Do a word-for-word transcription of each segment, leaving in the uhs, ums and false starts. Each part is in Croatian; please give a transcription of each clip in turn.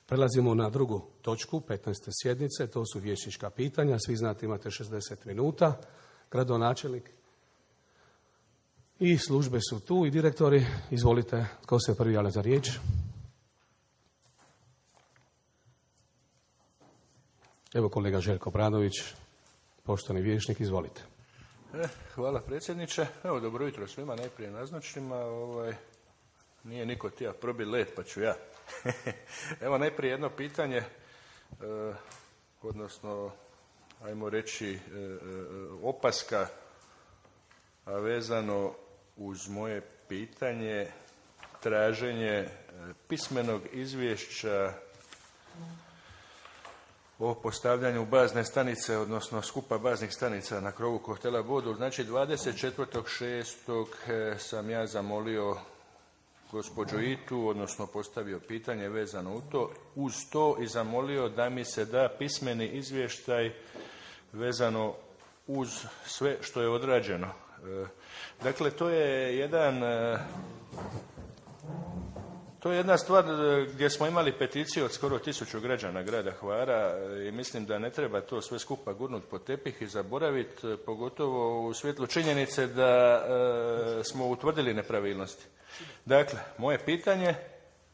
Prelazimo na drugu točku petnaeste sjednice, to su vijećnička pitanja. Svi znate, imate šezdeset minuta. Gradonačelnik i službe su tu i direktori. Izvolite, tko se prvi javlja za riječ? Evo kolega Željko Bradović, poštovani vijećnik, izvolite. E, hvala predsjedniče. Evo, dobro jutro svima, najprije naznačnima. Ovaj, nije niko tija probi led, pa ću ja. Evo najprije jedno pitanje, e, odnosno, ajmo reći, e, e, opaska, a vezano uz moje pitanje, traženje e, pismenog izvješća o postavljanju bazne stanice, odnosno skupa baznih stanica na krovu hotela Bodul. Znači, dvadeset četvrtog šestog sam ja zamolio gospođu Itu, odnosno postavio pitanje vezano u to, uz to i zamolio da mi se da pismeni izvještaj vezano uz sve što je odrađeno. Dakle, to je jedan... To je jedna stvar gdje smo imali peticiju od skoro tisuću građana grada Hvara i mislim da ne treba to sve skupa gurnuti pod tepih i zaboraviti, pogotovo u svjetlu činjenice da e, smo utvrdili nepravilnosti. Dakle, moje pitanje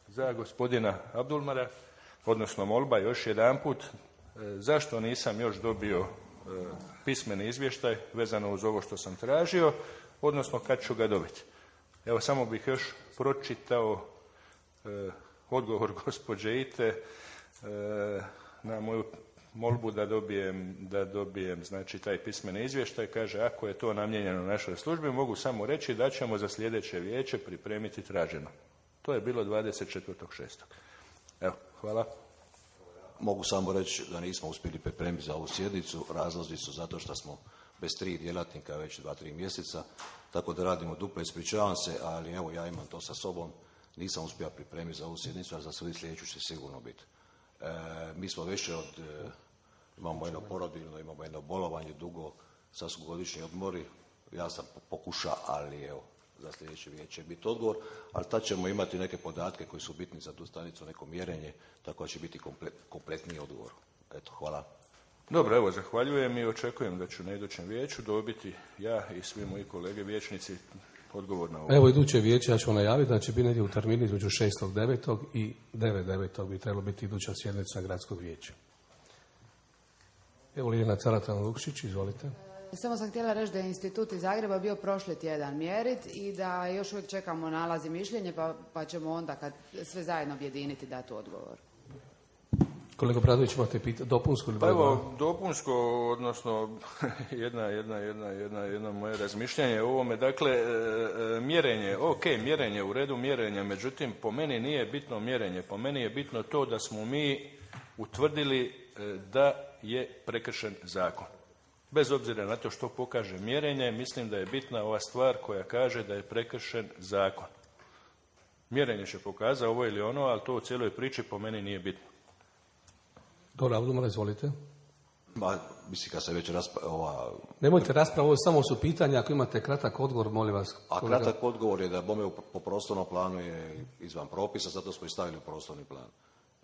za gospodina Abdulmara, odnosno molba još jedanput, e, zašto nisam još dobio e, pismeni izvještaj vezano uz ovo što sam tražio, odnosno kad ću ga dobiti. Evo, samo bih još pročitao E, odgovor gospođe Ite e, na moju molbu da dobijem, da dobijem znači, taj pismeni izvještaj. Kaže, ako je to namijenjeno našoj službi, mogu samo reći da ćemo za sljedeće vijeće pripremiti traženo. To je bilo dvadeset četvrtog šestog Evo, hvala. Mogu samo reći da nismo uspjeli pripremiti za ovu sjednicu. Razlozi su zato što smo bez tri djelatnika već dva, tri mjeseca, tako da radimo duplo, ispričavam se, ali evo ja imam to sa sobom. Nisam uspio pripremiti za ovu sjednicu, a za svoju sljedeću će sigurno biti. E, mi smo već od, e, imamo jedno porodiljno, imamo jedno bolovanje dugo, sad su godišnji odmori, ja sam pokušao, ali evo, za sljedeće vijeće će biti odgovor, ali tad ćemo imati neke podatke koji su bitni za tu stanicu, neko mjerenje, tako da će biti komplet, kompletniji odgovor. Eto, hvala. Dobro, evo, zahvaljujem i očekujem da ću na idućem vijeću dobiti ja i svi moji kolege vijećnici odgovor na ovo. Evo, iduće vijeće ja ću najaviti da će biti negdje u terminu između šestog devetog i devetog devetog bi trebalo biti iduća sjednica gradskog vijeća. Evo, Liljana Caratan-Lukšić, izvolite. Samo sam htjela reći da je institut iz Zagreba bio prošli tjedan mjerit i da još uvijek čekamo nalaz i mišljenje, pa, pa ćemo onda kad sve zajedno objediniti dati odgovor. Kolega Bradović, imate pitanje, dopunsko ili pa evo, dopunsko, odnosno jedna, jedna, jedna, jedna, jedna moje razmišljanje o ovome. Dakle, e, mjerenje, ok, mjerenje, u redu mjerenja, međutim, po meni nije bitno mjerenje. Po meni je bitno to da smo mi utvrdili e, da je prekršen zakon. Bez obzira na to što pokaže mjerenje, mislim da je bitna ova stvar koja kaže da je prekršen zakon. Mjerenje će pokazati ovo ili ono, ali to u cijeloj priči po meni nije bitno. Dobro, Abdulmar, izvolite. Ma, mislim, kad se već rasprava... Ova... Nemojte raspravo, ovo samo su pitanja, ako imate kratak odgovor, molim vas. A kolega. Kratak odgovor je da bome po prostornom planu je izvan propisa, zato smo i stavili u prostorni plan.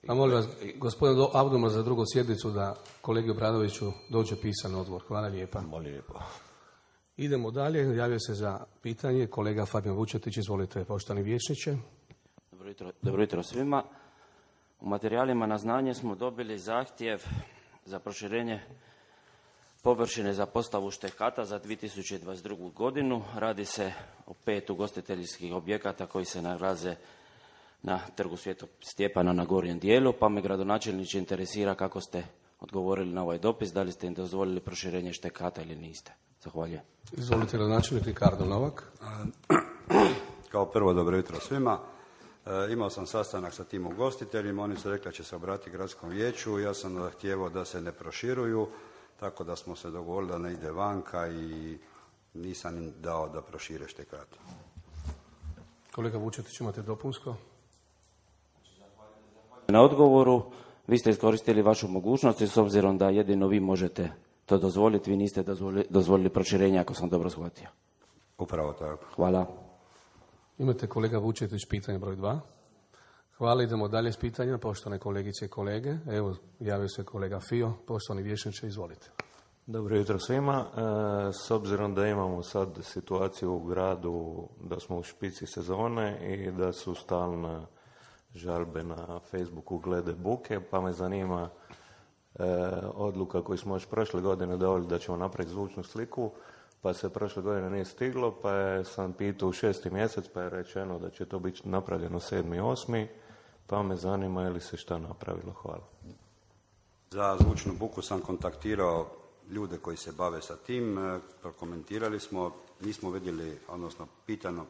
A molim vas, gospodin Abdulmar, za drugu sjednicu da kolegi Obradoviću dođe pisan odgovor. Hvala lijepa. Molim lijepo. Idemo dalje, javio se za pitanje kolega Fabijan Vučetić, izvolite, poštovani vijećniče. Dobro jutro, dobro jutro svima. U materijalima na znanje smo dobili zahtjev za proširenje površine za postavu štekata za dvije tisuće dvadeset drugu godinu. Radi se o pet ugostiteljskih objekata koji se nalaze na trgu Svetog Stjepana na gornjem dijelu, pa me gradonačelniče interesira kako ste odgovorili na ovaj dopis, da li ste im dozvolili proširenje štekata ili niste. Zahvaljujem. Izvolite, gradonačelnik Ricardo Novak. Kao prvo, dobro jutro svima. E, imao sam sastanak sa tim ugostiteljima, oni su rekli da će se obratiti gradskom vijeću, ja sam zahtijevao da se ne proširuju, tako da smo se dogovorili da ne ide vanka i nisam im dao da prošire štekat. Kolega Vučetić, imate dopunsko? Na odgovoru, vi ste iskoristili vašu mogućnost i s obzirom da jedino vi možete to dozvoliti, vi niste dozvolili, dozvolili proširenje, ako sam dobro shvatio. Upravo tako. Hvala. Imate, kolega Vučetić, pitanje broj dva. Hvala, idemo dalje s pitanjima, poštovane kolegice i kolege. Evo, javio se kolega Fio, poštovani vijećniče, izvolite. Dobro jutro svima. E, s obzirom da imamo sad situaciju u gradu da smo u špici sezone i da su stalne žalbe na Facebooku glede buke, pa me zanima e, odluka koju smo još prošle godine donijeli da ćemo napraviti zvučnu sliku, pa se prošle godine nije stiglo, pa je sam pitao u šesti mjesec, pa je rečeno da će to biti napravljeno sedmi, osmi, pa me zanima je li se šta napravilo. Hvala. Za zvučnu buku sam kontaktirao ljude koji se bave sa tim, prokomentirali smo, nismo vidjeli, odnosno pitano,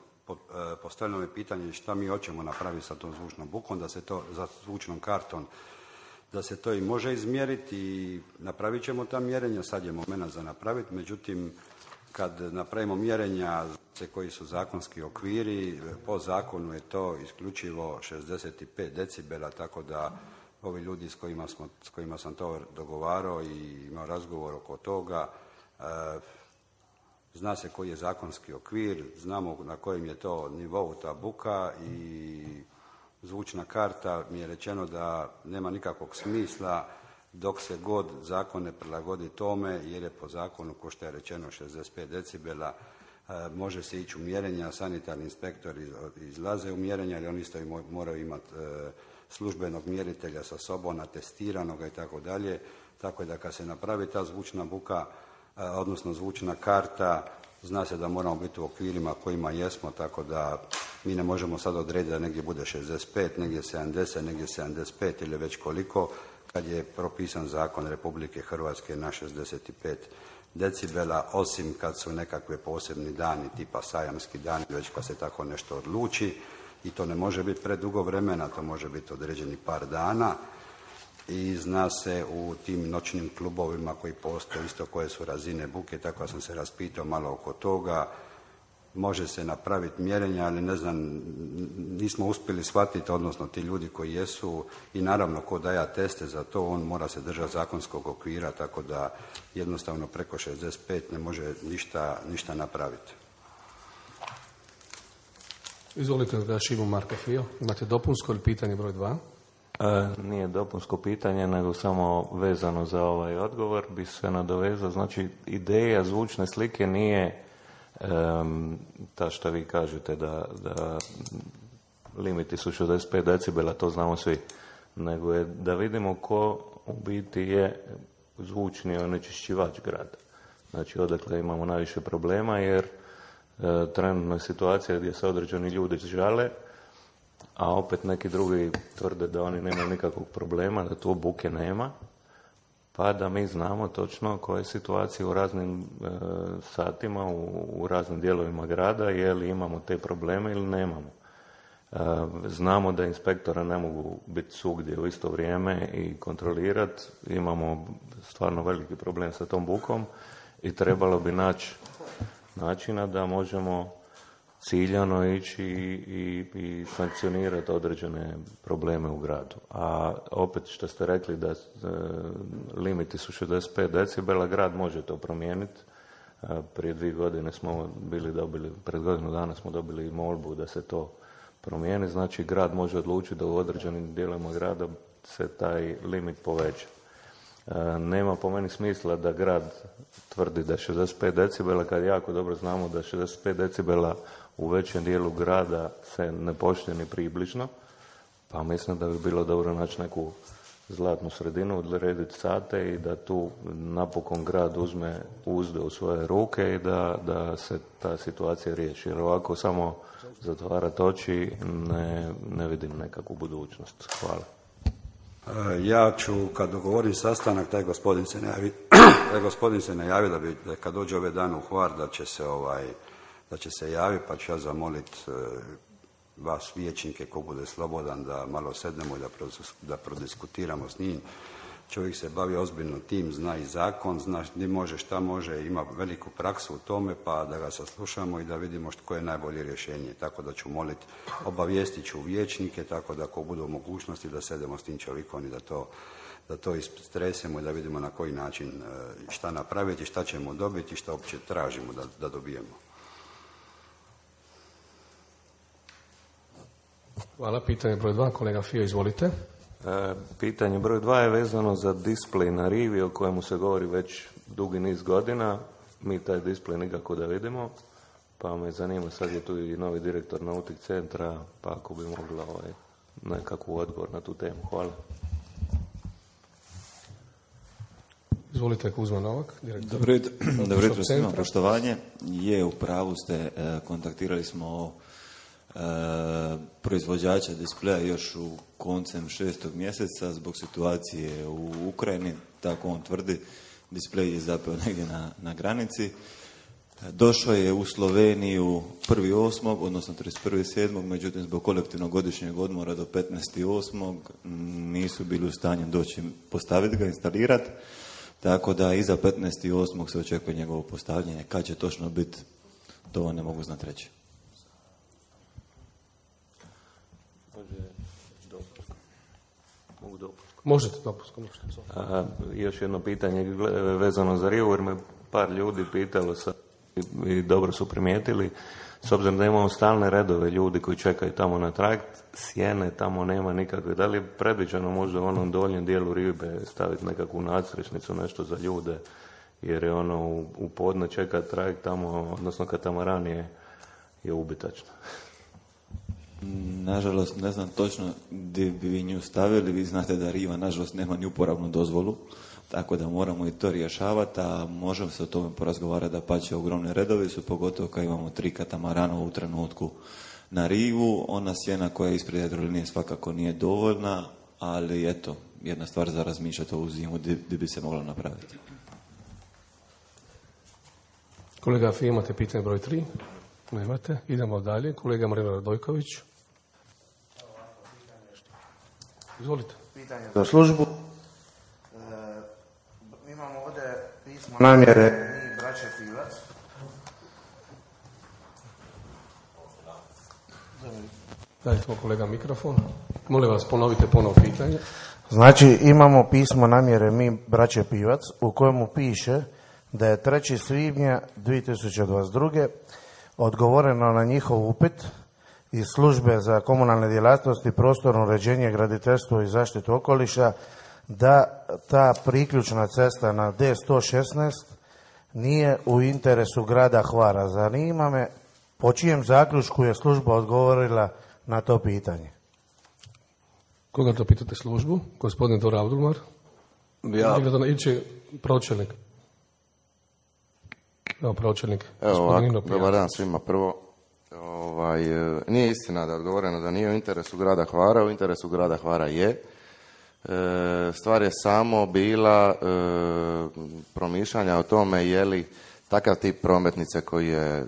postavljeno je pitanje šta mi hoćemo napraviti sa tom zvučnom bukom, da se to, za zvučnom kartom, da se to i može izmjeriti i napravit ćemo ta mjerenja, sad je moment za napraviti, međutim, kad napravimo mjerenja koji su zakonski okviri, po zakonu je to isključivo šezdeset pet decibela, tako da ovi ljudi s kojima, smo, s kojima sam to dogovarao i imao razgovor oko toga, e, zna se koji je zakonski okvir, znamo na kojem je to nivou ta buka i zvučna karta mi je rečeno da nema nikakvog smisla dok se god zakon ne prilagodi tome, jer je po zakonu, ko što je rečeno, šezdeset pet decibela, e, može se ići u mjerenja, sanitarni inspektori izlaze u mjerenja, ali oni isto moraju imati e, službenog mjeritelja sa sobom, atestiranoga i tako dalje, tako da kad se napravi ta zvučna buka, e, odnosno zvučna karta, zna se da moramo biti u okvirima kojima jesmo, tako da mi ne možemo sad odrediti da negdje bude šezdeset pet, negdje sedamdeset, negdje sedamdeset pet ili već koliko, kad je propisan zakon Republike Hrvatske na šezdeset pet decibela, osim kad su nekakve posebni dani, tipa sajamski dani, već kad se tako nešto odluči, i to ne može biti predugo vremena, to može biti određeni par dana, i zna se u tim noćnim klubovima koji postoje isto koje su razine buke, tako da sam se raspitao malo oko toga. Može se napraviti mjerenja, ali ne znam, nismo uspjeli shvatiti, odnosno ti ljudi koji jesu, i naravno ko daje teste za to, on mora se držati zakonskog okvira, tako da jednostavno preko šezdeset pet ne može ništa, ništa napraviti. Izvolite da Šimo Marko Fio, imate dopunsko ili pitanje broj dva? E, nije dopunsko pitanje, nego samo vezano za ovaj odgovor bi se nadovezao. Znači, ideja zvučne slike nije um, ta što vi kažete da, da limiti su šezdeset pet decibela, to znamo svi, nego je da vidimo ko u biti je zvučni onečišćivač grada. Znači, odakle imamo najviše problema, jer e, trenutno je situacija gdje se određeni ljudi žale, a opet neki drugi tvrde da oni nemaju nikakvog problema, da tu buke nema, pa da mi znamo točno koje situacije u raznim e, satima, u, u raznim dijelovima grada, je li imamo te probleme ili nemamo. E, znamo da inspektora ne mogu biti svugdje u isto vrijeme i kontrolirati, imamo stvarno veliki problem sa tom bukom i trebalo bi naći načina da možemo ciljano ići i, i sankcionirati određene probleme u gradu. A opet što ste rekli da e, limiti su šezdeset pet decibela, grad može to promijeniti. E, prije dvije godine smo bili dobili, pred godinu dana smo dobili molbu da se to promijeni. Znači grad može odlučiti da u određenim dijelovima grada se taj limit poveća. E, nema po meni smisla da grad tvrdi da je šezdeset pet decibela, kad jako dobro znamo da šezdeset pet decibela u većem dijelu grada se ne poštuje ni približno, pa mislim da bi bilo dobro naći neku zlatnu sredinu, odrediti sate i da tu napokon grad uzme uzde u svoje ruke i da, da se ta situacija riješi. Jer ovako samo zatvarati oči ne, ne vidim nekakvu budućnost. Hvala. Ja ću, kad dogovorim sastanak, taj gospodin se najavi, taj gospodin se najavi da bi, da kad dođe ove dane u Hvar, da će se ovaj, da će se javiti, pa ću ja zamoliti e, vas vijećnike, ko bude slobodan, da malo sednemo i da, da prodiskutiramo s njim. Čovjek se bavi ozbiljno tim, zna i zakon, zna gdje može, šta može, ima veliku praksu u tome, pa da ga saslušamo i da vidimo što je najbolje rješenje. Tako da ću moliti, obavijestit ću vijećnike, tako da ako budu u mogućnosti da sedemo s tim čovjekom i da to, da to istresemo i da vidimo na koji način šta napraviti, šta ćemo dobiti i šta uopće tražimo da, da dobijemo. Hvala. Pitanje broj dva, kolega Fio, izvolite. E, pitanje broj dva je vezano za displej na rivi o kojemu se govori već dugi niz godina. Mi taj displej nikako da vidimo, pa me zanima, sad je tu i novi direktor Nautik centra, pa ako bi mogla ovaj, nekakvu odgovor na tu temu. Hvala. Izvolite, Kuzma Novak, direktor. Dobro jutro, dobro jutro svima, poštovanje. Je, u pravu ste, kontaktirali smo e, proizvođača displeja još u koncem šestog mjeseca zbog situacije u Ukrajini, tako on tvrdi, displej je zapeo negdje na, na granici. Došao je u Sloveniju prvi osmog odnosno trideset prvi sedmog međutim zbog kolektivnog godišnjeg odmora do petnaesti osmog nisu bili u stanju doći postaviti ga, instalirati. Tako da iza petnaesti osmog se očekuje njegovo postavljanje. Kad će točno biti, to vam ne mogu znati reći. Mogu dopust. Možete dopust. A, još jedno pitanje vezano za rivu, jer me par ljudi pitalo sa, i, i dobro su primijetili. S obzirom da imamo stalne redove ljudi koji čekaju tamo na trajekt, sjene tamo nema nikakve. Da li je predviđeno možda u onom donjem dijelu ribe staviti nekakvu nadstrešnicu, nešto za ljude, jer je ono u, u podne čeka trajekt tamo, odnosno katamaran je, je ubitačno. Nažalost, ne znam točno gdje bi vi nju stavili. Vi znate da riva, nažalost, nema ni uporabnu dozvolu, tako da moramo i to rješavati, a možemo se o tome porazgovarati da pače ogromne redovi su, pogotovo kad imamo tri katamarana u trenutku na rivu. Ona sjena koja je ispred jadrolinije svakako nije dovoljna, ali eto, jedna stvar za razmišljati ovu zimu gdje bi se moglo napraviti. Kolega Fi, imate pitanje broj tri? Nemate. Idemo dalje. Kolega Marino Radojković. Izvolite. Pitanje za službu. E, imamo ovdje pismo namjere mi, braće Pivac. Dajte mu kolega mikrofon. Molim vas, ponovite ponovo pitanje. Znači, imamo pismo namjere mi, braće Pivac, u kojemu piše da je trećeg svibnja dvije tisuće dvadeset druge odgovoreno na njihov upit iz službe za komunalne djelatnosti, prostorno uređenje, graditeljstvo i zaštitu okoliša da ta priključna cesta na D sto šesnaest nije u interesu grada Hvara. Zanima me po čijem zaključku je služba odgovorila na to pitanje. Koga to pitate službu? Gospodin Dora Abdulmar? Ja. Ili će pročelnik? Evo pročelnik. Evo ovako, dobar dan svima. Prvo, ovaj, nije istina da je odgovoreno da nije u interesu grada Hvara, u interesu grada Hvara je. E, stvar je samo bila e, promišljanja o tome je li takav tip prometnice koji je e,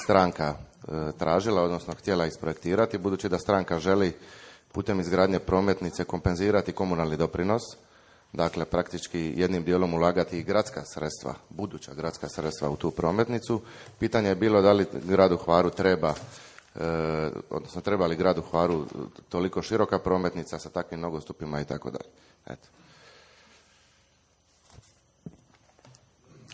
stranka e, tražila, odnosno htjela isprojektirati, budući da stranka želi putem izgradnje prometnice kompenzirati komunalni doprinos, dakle praktički jednim dijelom ulagati i gradska sredstva, buduća gradska sredstva u tu prometnicu. Pitanje je bilo da li gradu Hvaru treba, e, odnosno treba li gradu Hvaru toliko široka prometnica sa takvim nogostupima i tako dalje. Eto.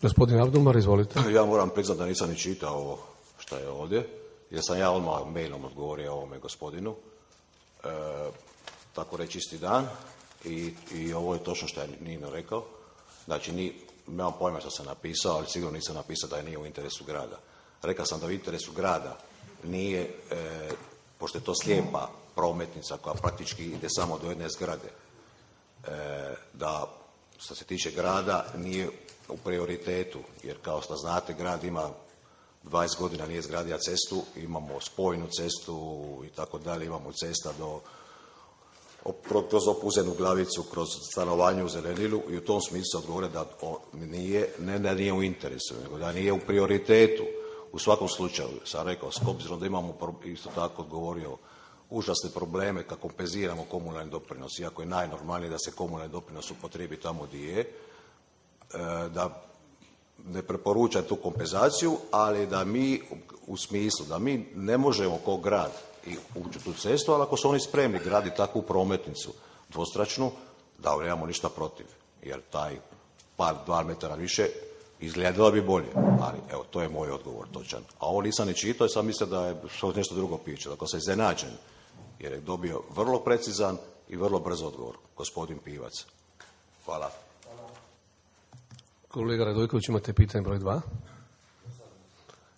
Gospodin Abdulmar, izvolite. Ja moram priznati da nisam ni čitao ovo što je ovdje, jer sam ja odmah mailom odgovorio ovome gospodinu. E, tako reći isti dan. I, i ovo je točno što je Nino rekao. Znači, ni, nemam pojma što sam napisao, ali sigurno nisam napisao da je nije u interesu grada. Rekao sam da u interesu grada nije, e, pošto je to slijepa prometnica koja praktički ide samo do jedne zgrade, e, da što se tiče grada nije u prioritetu, jer kao što znate grad ima dvadeset godina nije izgradio cestu, imamo spojnu cestu i tako dalje, imamo cesta do kroz Opuzenu Glavicu, kroz stanovanje u Zelenilu i u tom smislu se odgovore da nije, ne da nije u interesu, nego da nije u prioritetu. U svakom slučaju, sam rekao, s obzirom da imamo isto tako odgovorio užasne probleme kako kompenziramo komunalni doprinos, iako je najnormalnije da se komunalni doprinos upotrijebi tamo gdje je, da ne preporučam tu kompenzaciju, ali da mi u smislu da mi ne možemo kao grad i ući u tu cestu, ali ako su oni spremni graditi takvu prometnicu dvostračnu, da nemamo ništa protiv, jer taj par, dva metara više Izgledalo bi bolje, ali evo, to je moj odgovor točan. A ovo nisam ni čitao i sam mislio da je nešto drugo piše. Dakle, sam iznenađen, jer je dobio vrlo precizan i vrlo brz odgovor, gospodin Pivac. Hvala. Kolega Radojković, imate pitanje broj dva.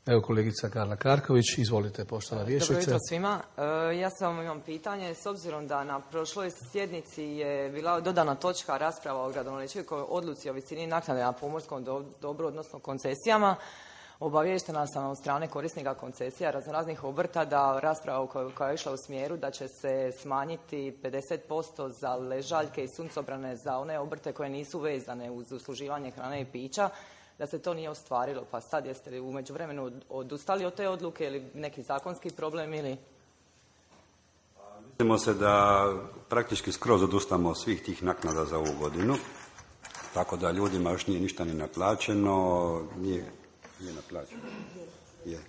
Evo kolegica Karla Karković, izvolite, poštovana vijećnice. Dobro jutro svima. Ja samo imam pitanje, s obzirom da na prošloj sjednici je bila dodana točka rasprava o gradonačelnikovoj odluci o visini naknade na pomorskom dobru, odnosno koncesijama. Obaviještena sam od strane korisnika koncesija raznoraznih obrta da rasprava koja je išla u smjeru da će se smanjiti pedeset posto za ležaljke i suncobrane za one obrte koje nisu vezane uz usluživanje hrane i pića, da se to nije ostvarilo. Pa sad jeste li u međuvremenu odustali od te odluke ili neki zakonski problem ili... Mislimo se da praktički skroz odustamo svih tih naknada za ovu godinu, tako da ljudima još nije ništa ni naplaćeno, nije, nije naplaćeno. Je.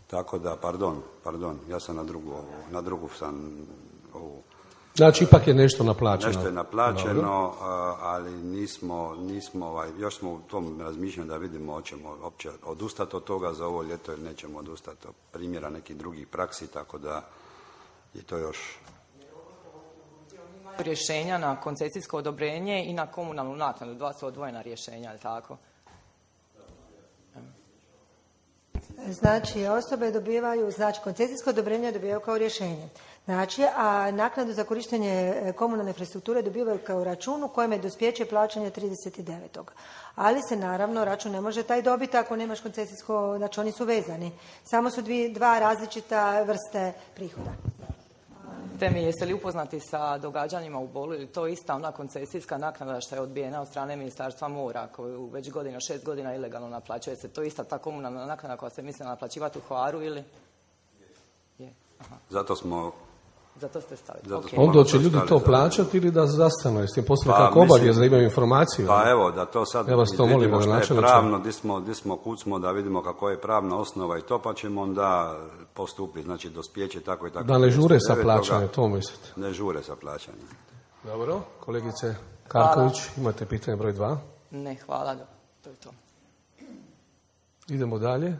Tako da, pardon, pardon, ja sam na drugu, na drugu sam ovu... Znači, ipak je nešto naplaćeno. Nešto je naplaćeno, ali nismo, nismo ovaj, još smo u tom razmišljanju da vidimo hoćemo uopće odustati od toga za ovo ljeto ili nećemo odustati od primjera nekih drugih praksi, tako da je to još... Rješenja na koncesijsko odobrenje i na komunalnu naknadu, dva su odvojena rješenja, je tako? Znači, osobe dobivaju, znači koncesijsko odobrenje dobivaju kao rješenje. Znači, a naknadu za korištenje komunalne infrastrukture dobivaju kao račun u kojem je dospjeće plaćanja trideset devetog Ali se naravno račun ne može taj dobiti ako nemaš koncesijsko, znači oni su vezani. Samo su dvije, dva različita vrste prihoda. Te mi, jeste li upoznati sa događanjima u Bolu ili to ista ona koncesijska naknada što je odbijena od strane Ministarstva mora koju već godina, šest godina ilegalno naplaćuje se? To ista ta komunalna naknada koja se misli naplaćivati u Hvaru ili? Je. Aha. Zato smo... Zato ste stavili. Zato Okay. Onda će ljudi to plaćati ili da zastanu? Jeste im poslije pa, kako obavijest da imaju informaciju? Pa evo, da to sad ja vas to molim, vidimo što je pravno, di smo, di smo kucmo, da vidimo kako je pravna osnova i to, pa ćemo onda postupiti, znači dospjeće tako i tako. Da ne žure sa plaćanjem, to mislite? Ne žure sa plaćanjem. Dobro, kolegice Karković, hvala. Imate pitanje broj dva? Ne, hvala, to je to. Idemo dalje.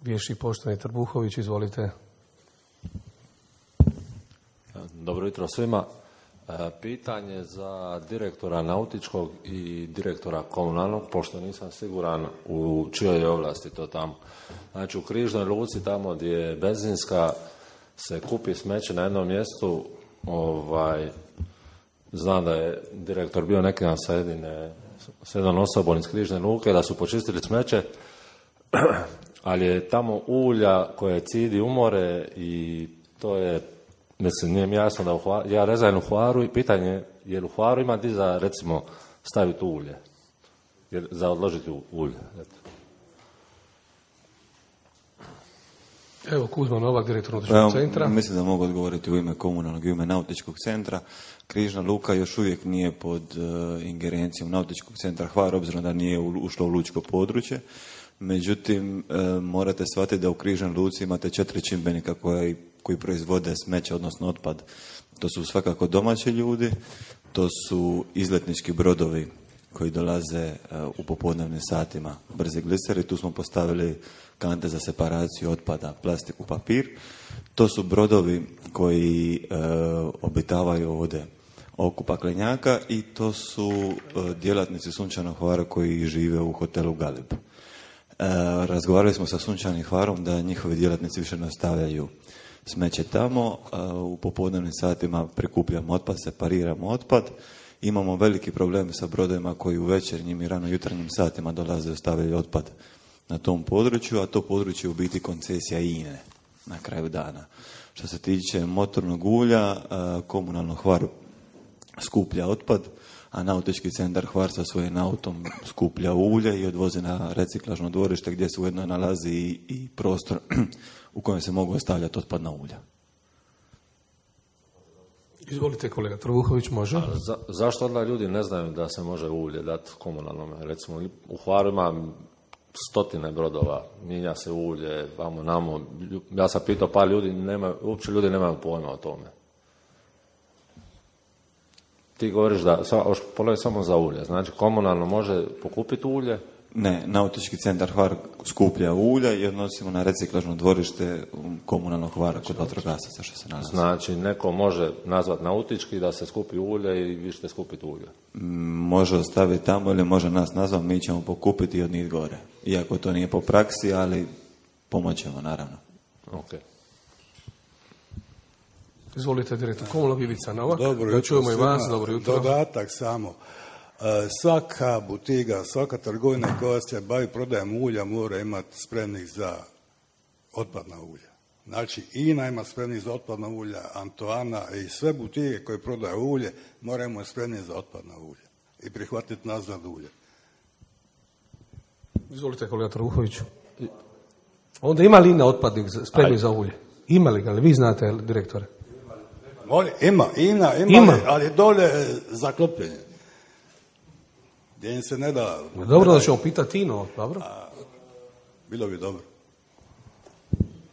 Viješi poštovani Trbuhović, izvolite. Dobro jutro svima. Pitanje za direktora nautičkog i direktora komunalnog, pošto nisam siguran u čijoj je ovlasti to tamo. Znači u Križnoj luci, tamo gdje je benzinska, se kupi smeće na jednom mjestu. Ovaj, znam da je direktor bio neki dan sa, jedine, sa jednom osobom iz Križne luke, da su počistili smeće, ali je tamo ulja koje cidi umore i to je... Mislim, nije mi jasno da u Hvaru, ja rezajem u Hvaru i pitanje je, jer u Hvaru ima di za, recimo, staviti ulje, jer, za odložiti ulje. Eto. Evo, Kuzma Novak, direktor nautičkog centra. Mislim da mogu odgovoriti u ime komunalnog i u ime nautičkog centra. Križna luka još uvijek nije pod uh, ingerencijom nautičkog centra Hvar, obzirom da nije ušlo u lučko područje. Međutim, uh, morate shvatiti da u Križnoj luci imate četiri čimbenika koji koji proizvode smeće, odnosno otpad. To su svakako domaći ljudi, to su izletnički brodovi koji dolaze u popodnevnim satima, brzi gliseri, tu smo postavili kante za separaciju otpada, plastiku, papir. To su brodovi koji e, obitavaju ovdje oko Paklenjaka i to su e, djelatnici Sunčanog Hvara koji žive u hotelu Galib. E, razgovarali smo sa Sunčanim Hvarom da njihovi djelatnici više ne ostavljaju smeće tamo, u popodnevnim satima prikupljamo otpad, separiramo otpad. Imamo veliki problem sa brodovima koji u večernjim i rano jutarnjim satima dolaze i ostavljaju otpad na tom području, a to područje je u biti koncesija I N E na kraju dana. Što se tiče motornog ulja, komunalno Hvar skuplja otpad, a nautički centar Hvar sa svojim autom skuplja ulje i odvozi na reciklažno dvorište gdje se ujedno nalazi i, i prostor u kojem se mogu ostavljati otpadna ulja. Izvolite kolega Trbuhović, može. Za, zašto onda ljudi ne znaju da se može ulje dati komunalnom? Recimo u Hvaru ima stotine brodova, mijenja se ulje, vamo namo. Ja sam pitao par ljudi, nema, uopće ljudi nemaju pojma o tome. ti govoriš da, polovi samo za ulje, znači komunalno može pokupiti ulje? Ne, Nautički centar Hvar skuplja ulja i odnosimo na reciklažno dvorište komunalnog Hvara kod vatrogasaca što se nalazi. Znači, neko može nazvat nautički da se skupi ulje i vi ćete skupiti ulje? Može ostaviti tamo ili može nas nazvat, mi ćemo pokupiti i odnijeti gore. Iako to nije po praksi, ali pomoćemo, naravno. Ok. Izvolite, direktor Komunalnog, Ivica Novak. Dobro da čujemo i vas, svima. dobro jutro. Dodatak samo. Svaka butiga, svaka trgovina koja se bavi prodajem ulja mora imati spremnik za otpadna ulja. Znači, INA ima spremnik za otpadna ulja, Antoana i sve butike koje prodaju ulje moraju imati spremnik za otpadna ulja i prihvatiti nazad ulje. Izvolite, kolega Trbuhović. Onda ima li INA otpadnik spremnik za ulje? Ima li ga, ali vi znate, direktore? Ima, INA, ima, ima. Ali, ali dolje zaklopljenje. Gdje im se ne da... Dobro, da ćemo pitati INO, dobro? A, bilo bi dobro.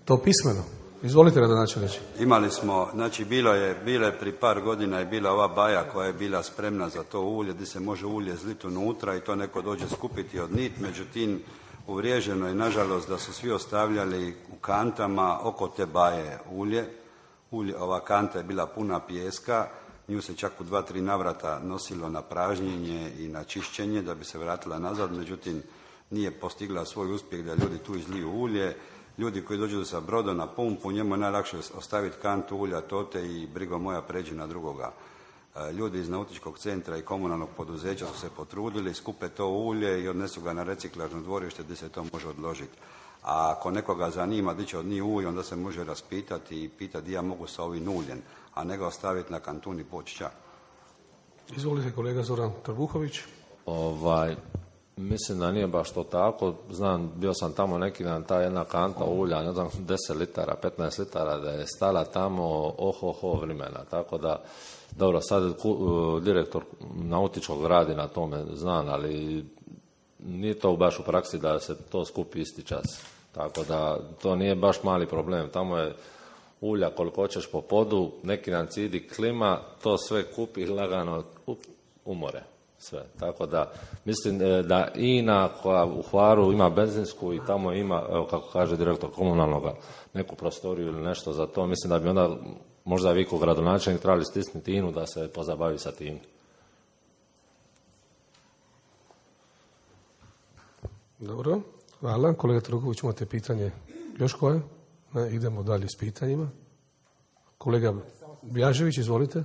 To pismeno. Izvolite, gradonačelniče. Imali smo, znači bilo je, bilo je pri par godina je bila ova baja koja je bila spremna za to ulje, gdje se može ulje zliti unutra i to neko dođe skupiti od nit, međutim uvriježeno je nažalost da su svi ostavljali u kantama oko te baje ulje. ulje ova kanta je bila puna pijeska, nju se čak u dva, tri navrata nosilo na pražnjenje i na čišćenje da bi se vratila nazad, međutim nije postigla svoj uspjeh da ljudi tu izliju ulje. Ljudi koji dođu sa brodom na pumpu, njemu je najlakše ostaviti kantu ulja tote i brigo moja pređi na drugoga. Ljudi iz Nautičkog centra i komunalnog poduzeća su se potrudili, skupe to ulje i odnesu ga na reciklažno dvorište gdje se to može odložiti. A ako nekoga zanima di će od njih ulje, onda se može raspitati i pitati ja mogu sa ovim uljem, a ne ga ostaviti na kantuni i poći čak. Izvolite, kolega Zoran Trbuhović. Ovaj, mislim da nije baš to tako. Znam, bio sam tamo neki dan, ta jedna kanta ulja, ne znam, deset litara, petnaest litara, da je stala tamo oho-ho vremena. Tako da, dobro, sad ku, direktor Nautičkog radi na tome, znam, ali nije to baš u praksi da se to skupi isti čas. Tako da, to nije baš mali problem. Tamo je ulja koliko hoćeš po podu, neki dan cidi klima, to sve kupi lagano umore. Sve. Tako da, mislim da INA koja u Hvaru ima benzinsku i tamo ima, evo kako kaže direktor komunalnoga, neku prostoriju ili nešto za to, mislim da bi onda možda vi kao gradonačelnik trebali stisnuti INU da se pozabavi sa tim. Dobro, hvala. Kolega Trbuhović, imate pitanje još koje? Ne, idemo dalje s pitanjima. Kolega Bjažević, izvolite.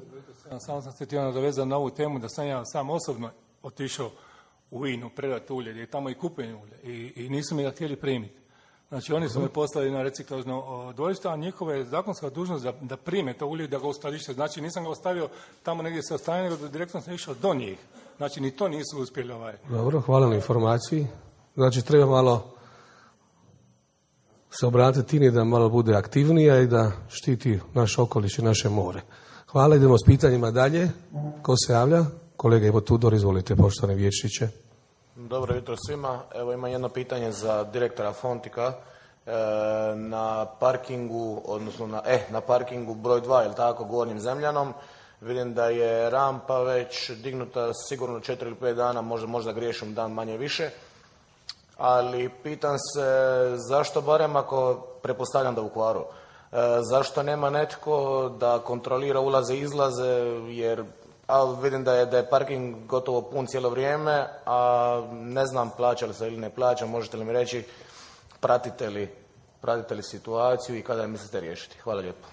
Samo sam se htio nadovezati na ovu temu da sam ja sam osobno otišao u INU predati ulje, gdje je tamo i kupljenje ulje i, i nisu mi ga htjeli primiti. Znači oni su me poslali na reciklažno dvorište, a njihova je zakonska dužnost da, da prime to ulje i da ga uskladište. Znači nisam ga ostavio tamo negdje sa strane, nego direktno sam išao do njih. Znači ni to nisu uspjeli ovaj. Dobro, hvala na informaciji. Znači treba malo se obratiti INI da malo bude aktivnija i da štiti naš okoliš i naše more. Hvala, idemo s pitanjima dalje. Ko se javlja? Kolega Ivo Tudor, izvolite, poštovane vijećniče. Dobro jutro svima. Evo imam jedno pitanje za direktora Fontika. E, na parkingu, odnosno na, eh, na parkingu broj dva, ili tako, Gornjim Zemljanom, vidim da je rampa već dignuta sigurno četiri ili pet dana, možda, možda griješim dan manje više. Ali pitam se zašto, barem ako pretpostavljam da u Hvaru, e, zašto nema netko da kontrolira ulaze i izlaze, jer a vidim da je, da je parking gotovo pun cijelo vrijeme, a ne znam plaća li se ili ne plaća, možete li mi reći, pratite li, pratite li situaciju i kada je mislite riješiti? Hvala lijepo.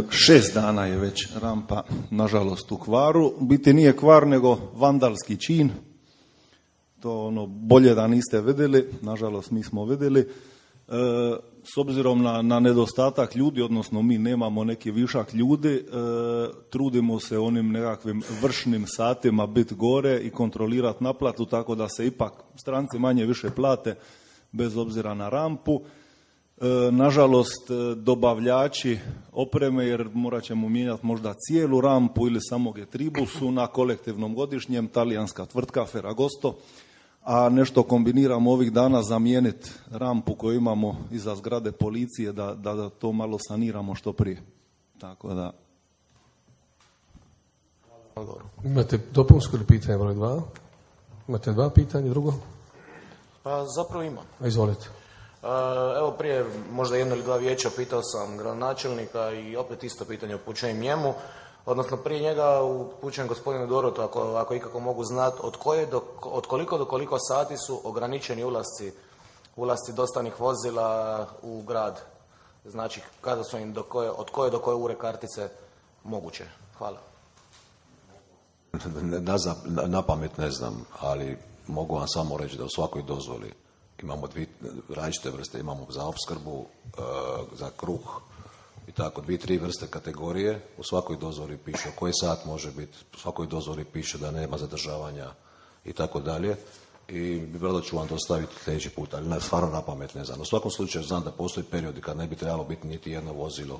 Šest dana je već rampa, nažalost, u Hvaru. U biti nije kvar, nego vandalski čin. To ono, bolje da niste vidjeli, nažalost mi smo vidjeli. E, s obzirom na, na nedostatak ljudi, odnosno mi nemamo neki višak ljudi, e, trudimo se onim nekakvim vršnim satima biti gore i kontrolirati naplatu, tako da se ipak stranci manje više plate bez obzira na rampu. E, nažalost, dobavljači opreme, jer morat ćemo mijenjati možda cijelu rampu ili samo Getribu, su na kolektivnom godišnjem, talijanska tvrtka Ferragosto, a nešto kombiniramo ovih dana zamijeniti rampu koju imamo iza zgrade policije da, da, da to malo saniramo što prije. Tako da... Imate dopunsko ili pitanje broj dva? Imate dva pitanja, drugo? Pa zapravo imam. Izvolite. Evo prije možda jedno ili dva vijeća pitao sam gradonačelnika i opet isto pitanje upućujem njemu, odnosno prije njega upućujem gospodinu Dorotu ako, ako ikako mogu znati od, koje do, od koliko do koliko sati su ograničeni ulasci, ulasci dostavnih vozila u grad. Znači kada su im do koje, od koje do koje ure kartice moguće. Hvala. Na, na, na pamet ne znam, ali mogu vam samo reći da u svakoj dozvoli imamo dvije različite vrste, imamo za opskrbu, e, za kruh i tako, dvije, tri vrste kategorije. U svakoj dozvoli piše koji sat može biti, u svakoj dozvoli piše da nema zadržavanja i tako dalje. I vrlo ću vam dostaviti sljedeći put, ali ne, stvarno na pamet ne znam. U svakom slučaju znam da postoji periodi kad ne bi trebalo biti niti jedno vozilo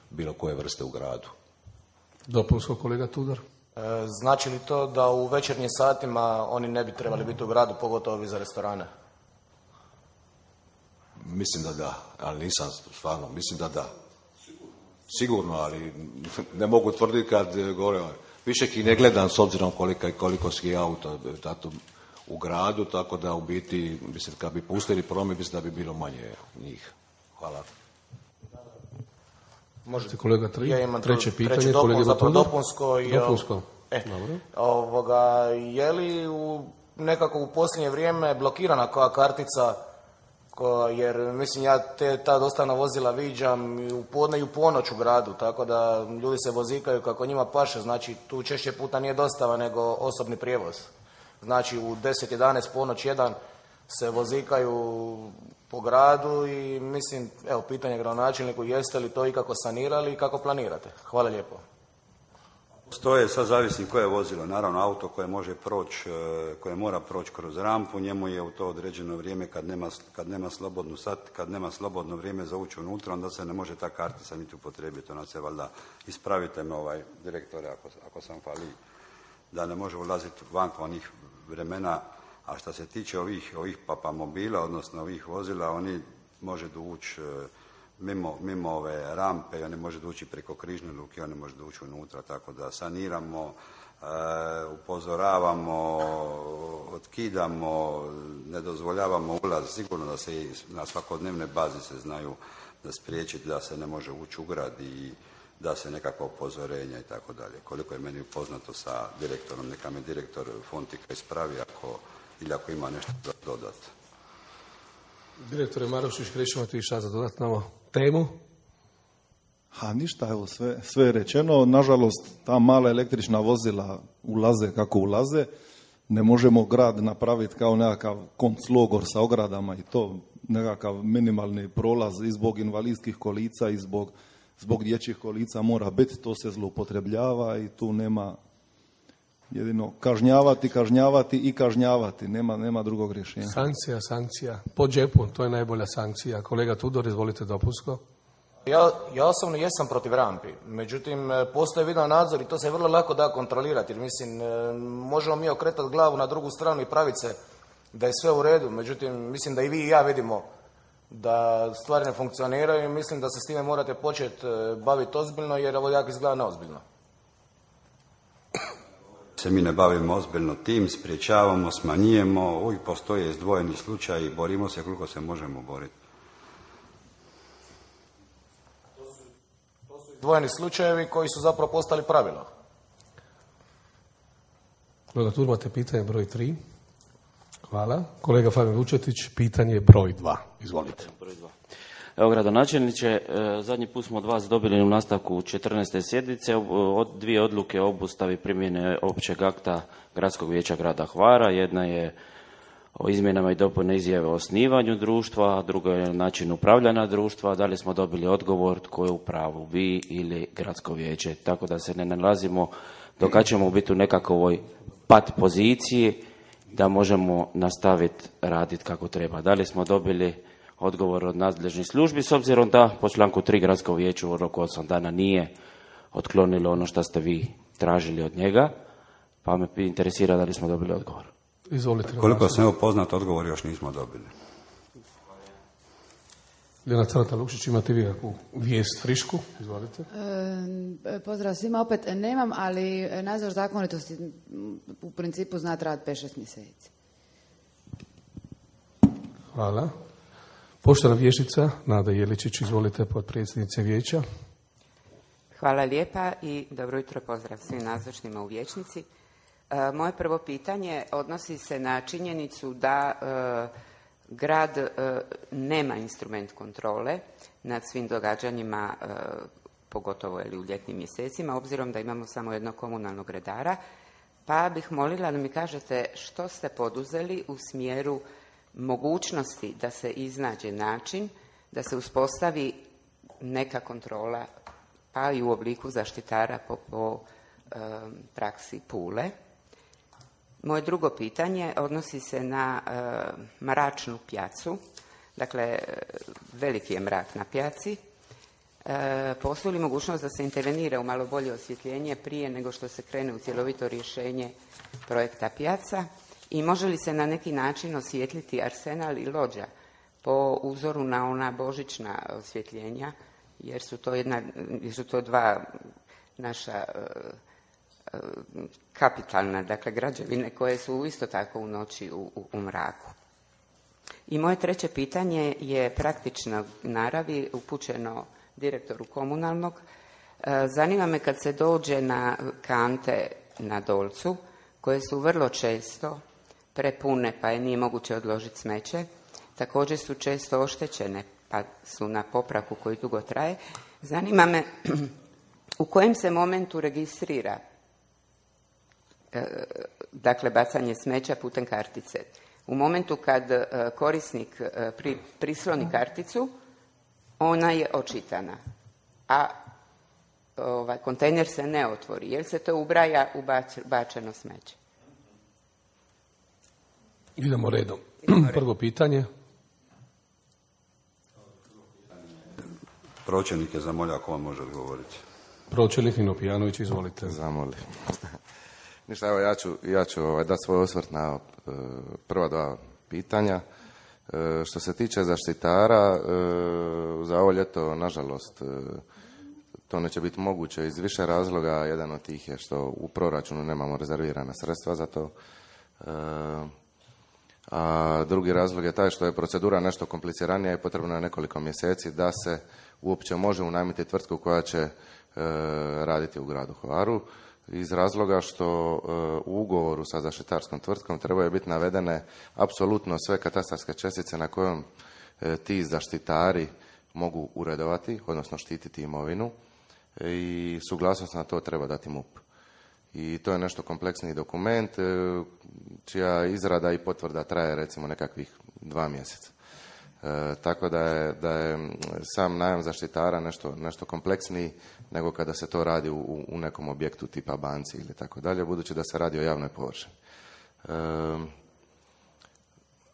bilo koje vrste u gradu. Dopunsko, kolega Tudor. E, znači li to da u večernjim satima oni ne bi trebali biti u gradu, pogotovo za restorane? Mislim da da, ali nisam stvarno, mislim da da. Sigurno, ali ne mogu tvrditi kad gore. Više ih ne gledam s obzirom koliko, koliko ski auto tato, u gradu, tako da u biti, mislim, kad bi pustili promet, mislim da bi bilo manje njih. Hvala. Možete kolega tri, ja imam treće pitanje, treće dopun, kolega zapravo dopunsko. I, dopunsko. E, ovoga, je li u, nekako u posljednje vrijeme blokirana koja kartica, ko, jer mislim ja te, ta dostavna vozila viđam i u podne i u ponoć u gradu, tako da ljudi se vozikaju kako njima paše, znači tu češće puta nije dostava nego osobni prijevoz. Znači u deset, jedanaest, ponoć, jedan se vozikaju po gradu i mislim, evo pitanje gradonačelniku, jeste li to ikako sanirali i kako planirate? Hvala lijepo. To je sad zavisi koje je vozilo. Naravno, auto koje može proći, koje mora proći kroz rampu, njemu je u to određeno vrijeme kad nema, kad nema slobodnu sat, kad nema slobodno vrijeme za ući unutra, onda se ne može ta kartica niti upotrijebiti. Ona se valjda, ispravite me ovaj direktore ako, ako sam fali, da ne može ulaziti van onih vremena. A što se tiče ovih, ovih papamobila, odnosno ovih vozila, oni može doći mimo, mimo ove rampe i oni može doći preko križne luke, oni može doći unutra, tako da saniramo, e, upozoravamo, otkidamo, ne dozvoljavamo ulaz. Sigurno da se na svakodnevnoj bazi se znaju da spriječiti da se ne može ući u grad i da se nekakva upozorenja i tako dalje. Koliko je meni upoznato sa direktorom, neka me direktor Fontika ispravi ako, ili ako ima nešto za dodati. Direktore Marušić, krećemo ti šta za dodat na ovu temu? Ha, ništa, evo, sve, sve je rečeno. Nažalost, ta mala električna vozila ulaze kako ulaze. Ne možemo grad napraviti kao nekakav konclogor sa ogradama i to, nekakav minimalni prolaz i zbog invalidskih kolica i zbog, zbog dječjih kolica mora biti. To se zloupotrebljava i tu nema jedino kažnjavati, kažnjavati i kažnjavati. Nema, nema drugog rješenja. Sankcija, sankcija. Po džepu, to je najbolja sankcija. Kolega Tudor, izvolite dopunsko. Ja, ja osobno jesam protiv rampi, međutim postoji video nadzor i to se vrlo lako da kontrolirati, jer mislim možemo mi okretati glavu na drugu stranu i praviti se da je sve u redu, međutim mislim da i vi i ja vidimo da stvari ne funkcioniraju i mislim da se s time morate početi baviti ozbiljno jer ovo jako izgleda neozbiljno. Se mi ne bavimo ozbiljno tim, spriječavamo, smanjujemo, uvijek postoje izdvojeni slučaj i borimo se koliko se možemo boriti. Izdvojeni slučajevi koji su zapravo postali pravilo. Kolega Tur, imate pitanje broj tri. Hvala. Kolega Fabijan Vučetić, pitanje broj dva. Izvolite. Broj dva. Evo, gradonačelniče, zadnji put smo od vas dobili u nastavku četrnaeste sjednice od dvije odluke o obustavi primjene općeg akta Gradskog vijeća grada Hvara. Jedna je o izmjenama i dopune izjave o osnivanju društva, a druga je način upravljanja društva. Da li smo dobili odgovor tko je u pravu, vi ili Gradsko vijeće? Tako da se ne nalazimo dok ćemo biti u nekakvoj pat poziciji da možemo nastaviti raditi kako treba. Da li smo dobili odgovor od nadležnih službi, s obzirom da po članku tri Gradsko vijeće u roku osam dana nije otklonilo ono što ste vi tražili od njega, pa me interesira da li smo dobili odgovor. Izvolite. Koliko sam evo poznat, odgovor još nismo dobili. Ljena Crata Lukšić, imate vi kakvu vijest frišku? Izvolite. E, pozdrav svima, opet nemam, ali nadzor zakonitosti u principu zna trajati pet šest mjeseci. Hvala. Poštovana vijećnica Nada Jeličić, izvolite, potpredsjednice vijeća. Hvala lijepa i dobro jutro, pozdrav svim nazočnima u vijećnici. E, moje prvo pitanje odnosi se na činjenicu da e, grad e, nema instrument kontrole nad svim događanjima, e, pogotovo ili u ljetnim mjesecima, obzirom da imamo samo jednog komunalnog redara, pa bih molila da mi kažete što ste poduzeli u smjeru mogućnosti da se iznađe način da se uspostavi neka kontrola, pa i u obliku zaštitara po, po e, praksi Pule. Moje drugo pitanje odnosi se na e, mračnu pjacu. Dakle, veliki je mrak na pjaci. E, postoji li mogućnost da se intervenira u malo bolje osvjetljenje prije nego što se krene u cjelovito rješenje projekta pjaca? I može li se na neki način osvijetliti Arsenal i Lođa po uzoru na ona božićna osvjetljenja, jer su to, jedna, jer su to dva naša uh, kapitalna, dakle, građevine koje su isto tako u noći u, u, u mraku. I moje treće pitanje je praktično naravi, upućeno direktoru komunalnog. Zanima me kad se dođe na kante na Dolcu, koje su vrlo često prepune pa je nije moguće odložiti smeće, također su često oštećene pa su na popravku koji dugo traje. Zanima me u kojem se momentu registrira e, dakle bacanje smeća putem kartice. U momentu kad e, korisnik e, pri, prisloni karticu, ona je očitana, a ovaj kontejner se ne otvori, jer se to ubraja u bač, bačeno smeće. Idemo redom. Prvo pitanje. Pročelnik je zamolio ako vam može odgovoriti. Pročelnik Nino Pijanović, izvolite. Zamoli. Ništa, evo ja ću, ja ću ovaj, dati svoj osvrt na uh, prva dva pitanja. Uh, što se tiče zaštitara, uh, za ovo ljeto, nažalost, uh, to neće biti moguće iz više razloga. Jedan od tih je što u proračunu nemamo rezervirana sredstva za to. Uh, a drugi razlog je taj što je procedura nešto kompliciranija i potrebno je nekoliko mjeseci da se uopće može unajmiti tvrtku koja će e, raditi u gradu Hvaru, iz razloga što e, u ugovoru sa zaštitarskom tvrtkom trebaju biti navedene apsolutno sve katastarske čestice na kojom e, ti zaštitari mogu uredovati, odnosno štititi imovinu, e, i suglasnost na to treba dati M U P. I to je nešto kompleksniji dokument, e, čija izrada i potvrda traje recimo nekakvih dva mjeseca. E, tako da je, da je sam najam zaštitara nešto, nešto kompleksniji nego kada se to radi u, u nekom objektu tipa banci ili tako dalje, budući da se radi o javnoj površini. E,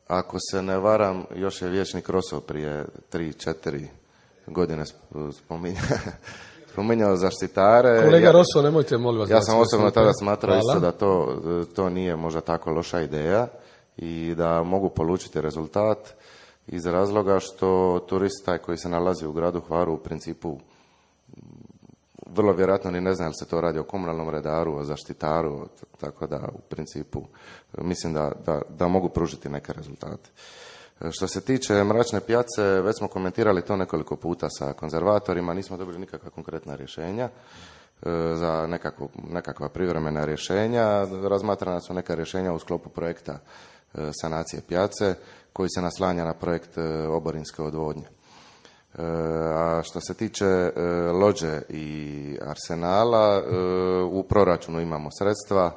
ako se ne varam, još je vijećnik Rosso prije tri, četiri godine spominjao, spominjao zaštitare. Kolega Rosso, nemojte, molim vas. Ja sam osobno tada smatrao isto da to, to nije možda tako loša ideja i da mogu polučiti rezultat iz razloga što turist taj koji se nalazi u gradu Hvaru u principu vrlo vjerojatno ni ne zna li se to radi o komunalnom redaru, o zaštitaru, tako da u principu mislim da, da, da mogu pružiti neke rezultate. Što se tiče mračne pjace, već smo komentirali to nekoliko puta sa konzervatorima, nismo dobili nikakva konkretna rješenja za nekakvu, nekakva privremena rješenja. Razmatrana su neka rješenja u sklopu projekta sanacije pjace koji se naslanja na projekt oborinske odvodnje. A što se tiče Lođe i Arsenala, u proračunu imamo sredstva,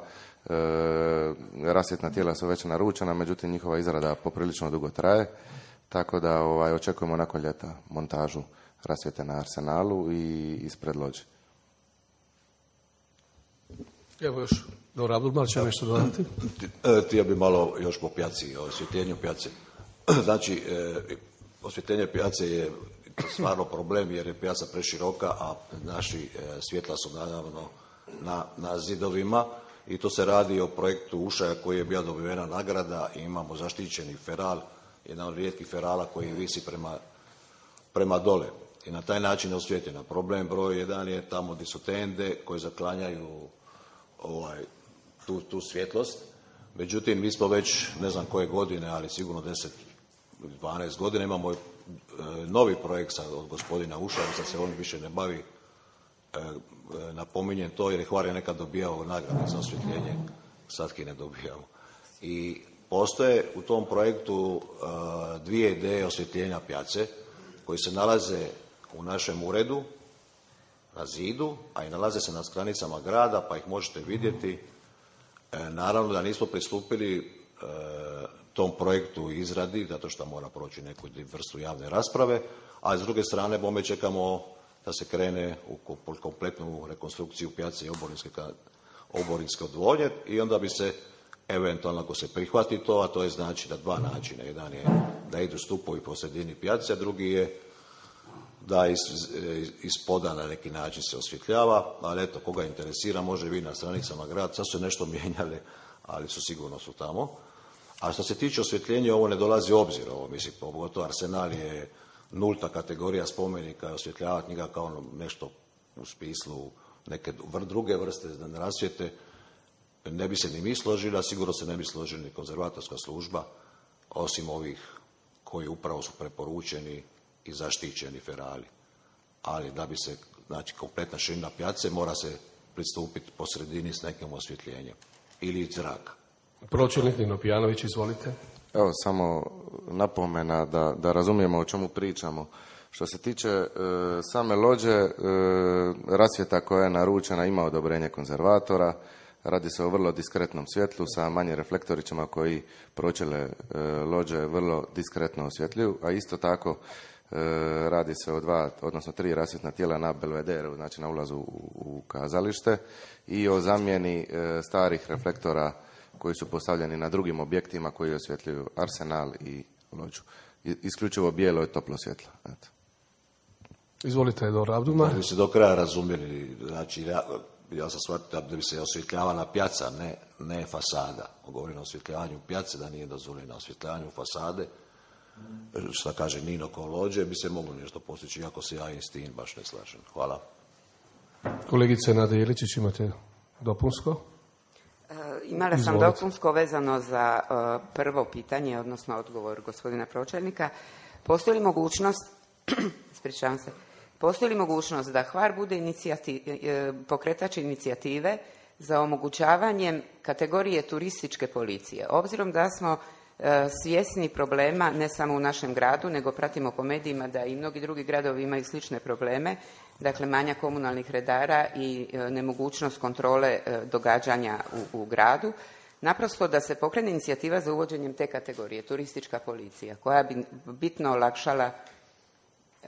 rasvjetna tijela su već naručena, međutim njihova izrada poprilično dugo traje, tako da ovaj, očekujemo nakon ljeta montažu rasvjete na Arsenalu i ispred Lođe. Evo još, dobro, Abdulmar će nešto dodati. Htio bi malo još po pjaci, o osvjetljenju pjace. Znači, osvjetljenje pjace je stvarno problem jer je pjaca preširoka, a naši svjetla su naravno na, na zidovima i to se radi o projektu Ušaja koji je bila dobivena nagrada i imamo zaštićeni feral, jedan od rijetkih ferala koji visi prema prema dole. I na taj način je osvijetljeno. Problem broj jedan je tamo gdje su tende koje zaklanjaju ovaj, tu, tu svjetlost. Međutim, mi smo već ne znam koje godine, ali sigurno deset, dvanaest godina imamo e, novi projekt sad od gospodina Ušarica, se on više ne bavi, e, e, napominjem to jer je Hvar je nekad dobijao nagrade za osvjetljenje, sad ki ne dobijamo. I postoje u tom projektu e, dvije ideje osvjetljenja pjace koji se nalaze u našem uredu na zidu, a i nalaze se na stranicama grada, pa ih možete vidjeti. E, naravno da nismo pristupili e, tom projektu izradi, zato što mora proći neku vrstu javne rasprave, a s druge strane bome čekamo da se krene u kompletnu rekonstrukciju pjace i oborinske, oborinske odvodnje i onda bi se eventualno ako se prihvati to, a to je znači da dva načina. Jedan je da idu stupovi po sredini pjace, a drugi je da iz, iz poda na neki način se osvjetljava, ali eto, koga interesira, može vidjeti na stranicama grada, sad su nešto mijenjali, ali su sigurno su tamo. A što se tiče osvjetljenja, ovo ne dolazi u obzir, ovo mislim, pogotovo Arsenal je nulta kategorija spomenika, osvjetljavati njega kao nešto u smislu neke druge vrste rasvjete, ne bi se ni mi složili, a sigurno se ne bi složili ni konzervatorska služba, osim ovih koji upravo su preporučeni i zaštićeni ferali. Ali da bi se, znači, kompletna širina pjace mora se pristupiti po sredini s nekim osvjetljenjem. Ili iz zraka. Pročelnik Nino Pijanović, izvolite. Evo, samo napomena da, da razumijemo o čemu pričamo. Što se tiče e, same lođe, e, rasvjeta koja je naručena ima odobrenje konzervatora. Radi se o vrlo diskretnom svjetlu sa manjim reflektorićima koji pročele e, lođe vrlo diskretno osvjetljuju, a isto tako e, radi se o dva, odnosno tri rasvjetna tijela na belvederu, znači na ulazu u, u kazalište i o zamjeni e, starih reflektora koji su postavljeni na drugim objektima koji osvjetljuju Arsenal i lođu. I, isključivo bijelo je toplo svjetlo. Eto. Izvolite, Edor Abduma. Da bi se do kraja razumjeli, znači ja, ja sam shvatio da bi se osvjetljavala pjaca, ne, ne fasada. Govorim o osvjetljavanju pjace, da nije dozvoljeno osvjetljavanju fasade. Šta kaže Nino ko lođe, bi se moglo nešto postići, iako se ja i s tim baš ne slažem. Hvala. Kolegice Nada Jeličić, imate dopunsko? Imala sam Izvolite. dopunsko vezano za uh, prvo pitanje, odnosno odgovor gospodina pročelnika. Postoji li mogućnost, ispričavam se, postoji li mogućnost da Hvar bude inicijati, pokretač inicijative za omogućavanjem kategorije turističke policije? Obzirom da smo uh, svjesni problema ne samo u našem gradu, nego pratimo po medijima da i mnogi drugi gradovi imaju slične probleme, dakle manja komunalnih redara i e, nemogućnost kontrole e, događanja u, u gradu, naprosto da se pokrene inicijativa za uvođenjem te kategorije, turistička policija, koja bi bitno olakšala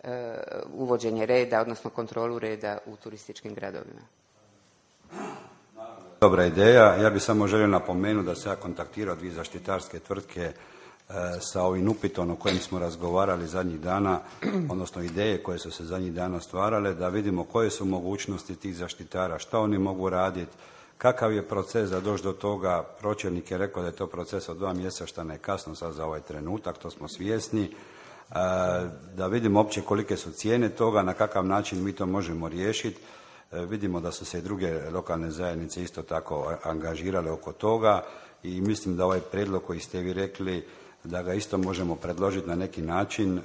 e, uvođenje reda, odnosno kontrolu reda u turističkim gradovima. Dobra ideja. Ja bih samo želio napomenuti da se ja kontaktirao dvije zaštitarske tvrtke sa ovim upitom o kojem smo razgovarali zadnjih dana, odnosno ideje koje su se zadnjih dana stvarale, da vidimo koje su mogućnosti tih zaštitara, što oni mogu raditi, kakav je proces da doći do toga. Pročelnik je rekao da je to proces od dva mjeseca, što ne kasno sad za ovaj trenutak, to smo svjesni. Da vidimo uopće kolike su cijene toga, na kakav način mi to možemo riješiti. Vidimo da su se i druge lokalne zajednice isto tako angažirale oko toga i mislim da ovaj prijedlog koji ste vi rekli da ga isto možemo predložiti na neki način e,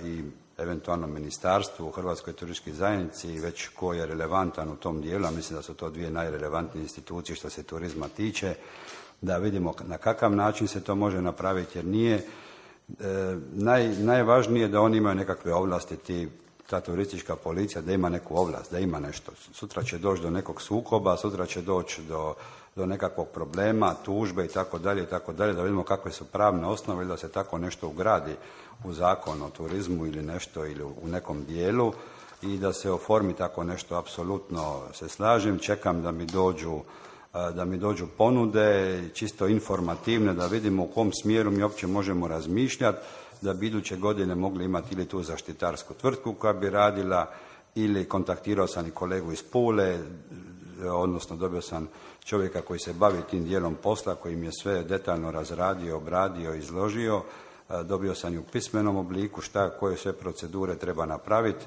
i eventualno ministarstvu, Hrvatskoj turističkoj zajednici i već ko je relevantan u tom dijelu, a mislim da su to dvije najrelevantnije institucije što se turizma tiče, da vidimo na kakav način se to može napraviti, jer nije e, naj, najvažnije da oni imaju nekakve ovlasti, ti, ta turistička policija, da ima neku ovlast, da ima nešto. Sutra će doći do nekog sukoba, sutra će doći do do nekakvog problema, tužbe i tako dalje i tako dalje, da vidimo kakve su pravne osnove ili da se tako nešto ugradi u zakon o turizmu ili nešto ili u nekom dijelu i da se oformi tako nešto. Apsolutno se slažem, čekam da mi dođu da mi dođu ponude, čisto informativne, da vidimo u kom smjeru mi uopće možemo razmišljati, da bi iduće godine mogli imati ili tu zaštitarsku tvrtku koja bi radila, ili kontaktirao sam i kolegu iz Pule, odnosno dobio sam čovjeka koji se bavi tim dijelom posla, koji mi je sve detaljno razradio, obradio, izložio, dobio sam i u pismenom obliku šta, koje sve procedure treba napraviti,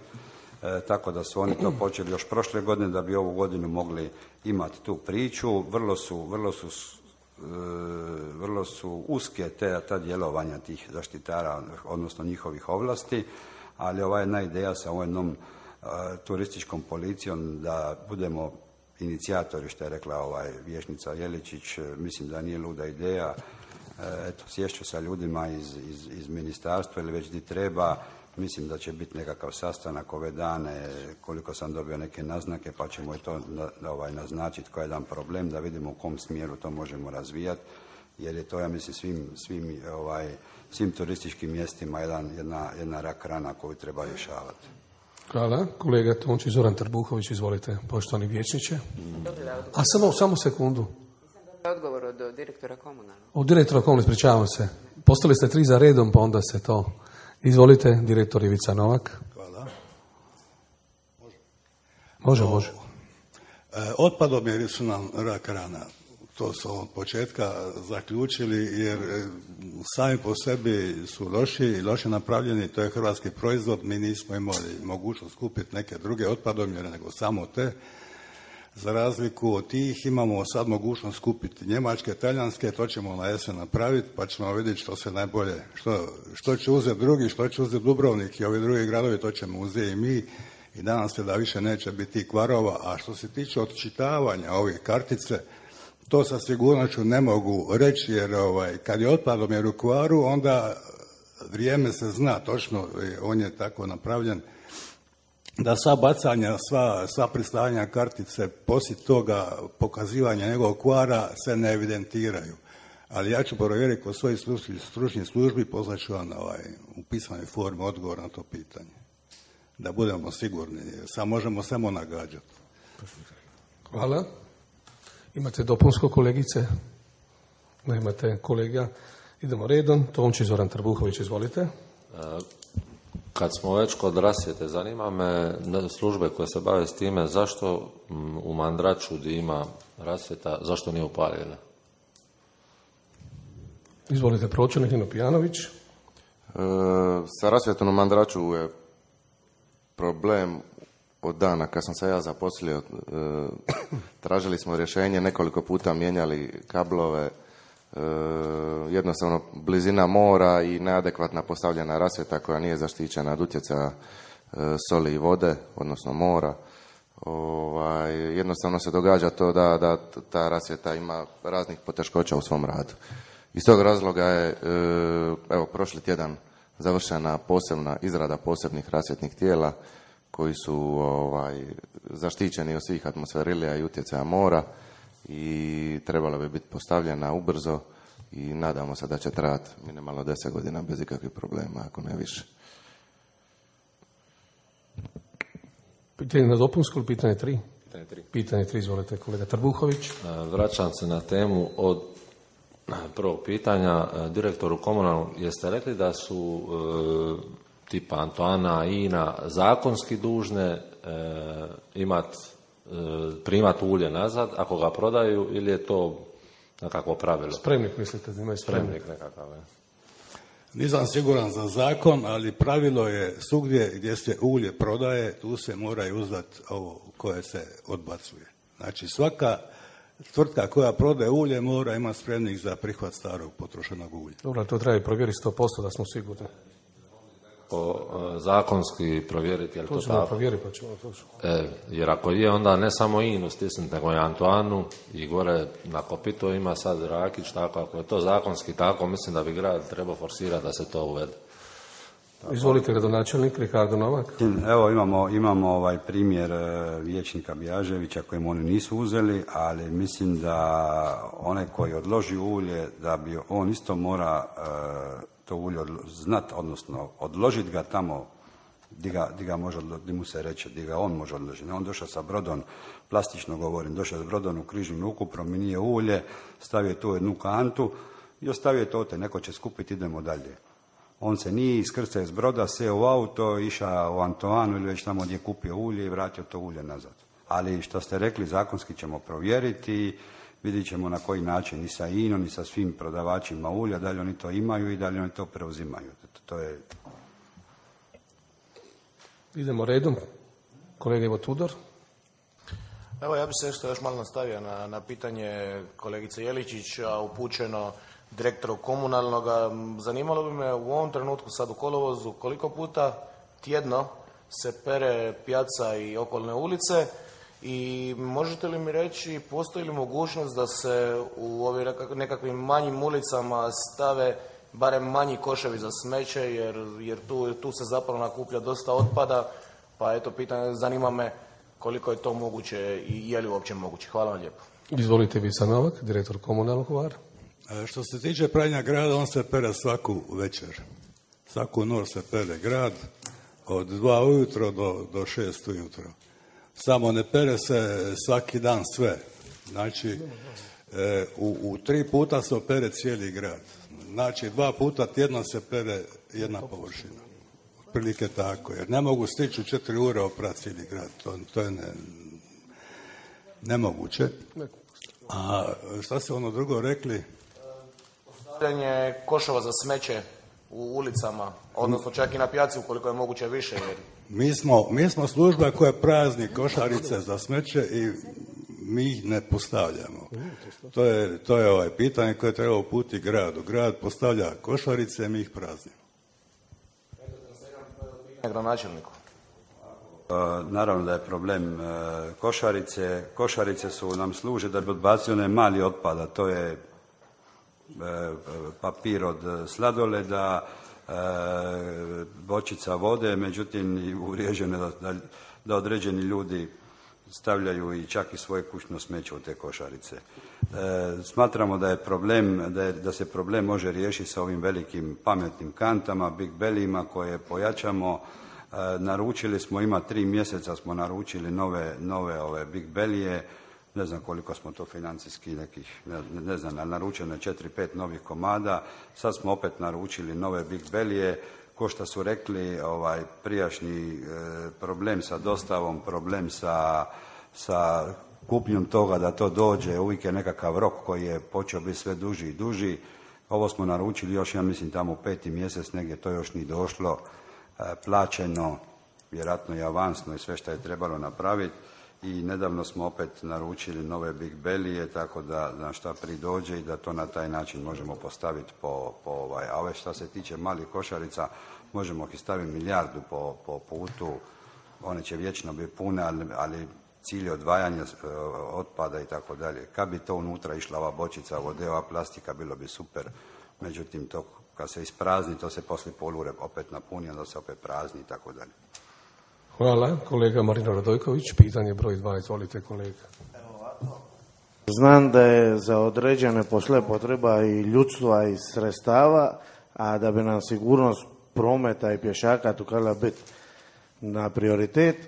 e, tako da su oni to počeli još prošle godine da bi ovu godinu mogli imati tu priču. Vrlo su, vrlo su, e, vrlo su uske te, ta djelovanja tih zaštitara, odnosno njihovih ovlasti, ali ova jedna ideja sa ovom jednom e, turističkom policijom da budemo inicijatori, što je rekla ovaj vijećnica Jeličić, mislim da nije luda ideja. Eto, sješću sa ljudima iz, iz, iz ministarstva ili već di treba. Mislim da će biti nekakav sastanak ove dane, koliko sam dobio neke naznake, pa ćemo i to na, ovaj, naznačiti koji je jedan problem, da vidimo u kom smjeru to možemo razvijati, jer je to, ja mislim, svim, svim, ovaj, svim turističkim mjestima jedan, jedna, jedna rak rana koju treba rješavati. Hvala. Kolega Tonči Zoran Trbuhović, izvolite, poštovani vijećniče. A samo, samo sekundu. Odgovor od direktora komunalnog. Od direktora komunalnog, ispričavam se. Postali ste tri za redom, pa onda se to... Izvolite, direktor Ivica Novak. Hvala. Može? Može, može. E, otpadomjeri su nam rak rana. To su od početka zaključili, jer sami po sebi su loši i loše napravljeni. To je hrvatski proizvod. Mi nismo imali mogućnost kupiti neke druge otpadomjere, nego samo te. Za razliku od tih imamo sad mogućnost kupiti njemačke, talijanske, to ćemo na jesen napraviti, pa ćemo vidjeti što se najbolje, što, što će uzeti drugi, što će uzeti Dubrovnik i ovi drugi gradovi, to ćemo uzeti i mi i nadam se da više neće biti kvarova. A što se tiče odčitavanja ove kartice, to sa sigurnošću ne mogu reći, jer ovaj, kad je otpadom u kvaru, onda vrijeme se zna točno, on je tako napravljen da sva bacanja, sva, sva pristavljanja kartice poslije toga pokazivanja njegovog kvara se ne evidentiraju. Ali ja ću provjeriti kod svojih stručnih službi, poslat ću vam ovaj, u pisanoj formi odgovor na to pitanje. Da budemo sigurni, sad možemo samo nagađati. Hvala. Imate dopunsko, kolegice? Nemate, kolega? Idemo redom. Tonči Zoran Trbuhović, izvolite. Kad smo već kod rasvjete, zanima me službe koje se bave s time, zašto u Mandraču gdje ima rasvjeta, zašto nije upaljena? Izvolite, pročelnik Nino Pijanović. E, sa rasvjetom u Mandraču je problem od dana kad sam se ja zaposlio. E, tražili smo rješenje, nekoliko puta mijenjali kablove, E, jednostavno blizina mora i neadekvatna postavljena rasvjeta koja nije zaštićena od utjecaja e, soli i vode, odnosno mora. Ovaj, jednostavno se događa to da, da ta rasvjeta ima raznih poteškoća u svom radu. Iz tog razloga je, e, evo, prošli tjedan završena posebna izrada posebnih rasvjetnih tijela koji su ovaj, zaštićeni od svih atmosferilija i utjecaja mora i trebala bi biti postavljena ubrzo i nadamo se da će trajati minimalno deset godina bez ikakvih problema, ako ne više. Pitanje na dopunsku ili pitanje tri? Pitanje tri. Pitanje tri, izvolite, kolega Trbuhović. Vraćam se na temu od prvog pitanja. Direktoru komunalnog, jeste rekli da su e, tipa Antoana i Ina zakonski dužne e, imati primati ulje nazad ako ga prodaju, ili je to nekakvo pravilo? Spremnik, mislite da imaju spremnik? Spremnik nekakav, je. Nisam siguran za zakon, ali pravilo je svugdje gdje se ulje prodaje, tu se mora uzdati ovo koje se odbacuje. Znači svaka tvrtka koja prodaje ulje mora imati spremnik za prihvat starog potrošenog ulja. Dobro, to treba i provjeriti sto posto da smo sigurni. O, zakonski provjeriti, je li to, to tako? Provjeriti, pa ćemo to. E, jer ako je, onda ne samo Inu stisnuti, nego i Antoanu i gore na Kopito ima sad Rakić, tako, ako je to zakonski tako, mislim da bi grad trebao forsirati da se to uvede. Tako. Izvolite, gradonačelnik Ricardo Novak. Evo imamo, imamo ovaj primjer vijećnika Bjaževića kojemu oni nisu uzeli, ali mislim da onaj koji odloži ulje, da bi on isto mora to ulje znat, odnosno odložiti ga tamo di ga, di ga može, di mu se reče, di ga on može odložiti. On došao sa brodom, plastično govorim, došao s brodom u križnu luku, promijenio ulje, stavio tu jednu kantu i ostavio to te, neko će skupiti, idemo dalje. On se nije iskrcao iz broda, seo u auto, išao u Antoanu ili već tamo gdje je kupio ulje i vratio to ulje nazad. Ali što ste rekli, zakonski ćemo provjeriti vidjet ćemo na koji način i sa I N O M i sa svim prodavačima ulja, da li oni to imaju i da li oni to preuzimaju. To je... Idemo redom. Kolega Ivo Tudor. Evo, ja bih se isto još malo nastavio na, na pitanje kolegice Jeličić, a upućeno direktoru komunalnog. Zanimalo bi me u ovom trenutku sad u kolovozu koliko puta tjedno se pere pijaca i okolne ulice i možete li mi reći postoji li mogućnost da se u ovim nekakvim manjim ulicama stave barem manji koševi za smeće jer, jer tu, tu se zapravo nakuplja dosta otpada, pa eto pitanje, zanima me koliko je to moguće i je li uopće moguće. Hvala vam lijepo. Izvolite Vica Novak, direktor komunalnog Hvar. Što se tiče pranja grada, on se pere svaku večer. Svaku noć se pere grad, od dva ujutro do, do šest ujutro. Samo ne pere se svaki dan sve. Znači, e, u, u tri puta se opere cijeli grad. Znači, dva puta tjedno se pere jedna površina. Otprilike tako, jer ne mogu stići u četiri ure oprati cijeli grad. To, to je ne, nemoguće. A šta ste ono drugo rekli? Postavljanje koševa za smeće u ulicama, odnosno čak i na pijaci ukoliko je moguće više. Jer... Mi smo, mi smo služba koja prazni košarice za smeće i mi ih ne postavljamo. To je, to je ovaj pitanje koje treba uputiti gradu. Grad postavlja košarice, mi ih praznimo. Gradonačelniku. Naravno da je problem košarice. Košarice su nam služe da bi odbacili onaj mali otpada. To je papir od sladoleda, bočica vode, međutim uvriježeno da, da, da određeni ljudi stavljaju i čak i svoje kućno smeće u te košarice. E, smatramo da je problem, da, je, da se problem može riješiti sa ovim velikim pametnim kantama, big bellyima koje pojačamo. E, naručili smo, ima tri mjeseca smo naručili nove, nove ove big bellyje, ne znam koliko smo to financijski nekih, ne, ne znam, naručeno je četiri, pet novih komada, sad smo opet naručili nove big bellyje. Ko što su rekli, ovaj prijašnji e, problem sa dostavom, problem sa, sa kupnjom toga da to dođe, uvijek je nekakav rok koji je počeo biti sve duži i duži. Ovo smo naručili još, ja mislim, tamo u peti mjesec, negdje to još nije došlo, e, plaćeno, vjerojatno i avansno i sve što je trebalo napraviti. I nedavno smo opet naručili nove big bellyje, tako da na šta pridođe i da to na taj način možemo postaviti po, po ovaj. A ove što se tiče malih košarica, možemo ih staviti milijardu po, po putu, one će vječno biti pune, ali, ali cilj je odvajanje otpada i tako dalje. Kad bi to unutra išla ova bočica vode, ova plastika, bilo bi super. Međutim, to kad se isprazni, to se poslije polure opet napuni, onda se opet prazni i tako dalje. Hvala. Kolega Marino Radojković, pitanje broj dva, izvolite kolega. Znam da je za određene posle potreba i ljudstva i sredstava, a da bi nam sigurnost prometa i pješaka tukala biti na prioritet, e,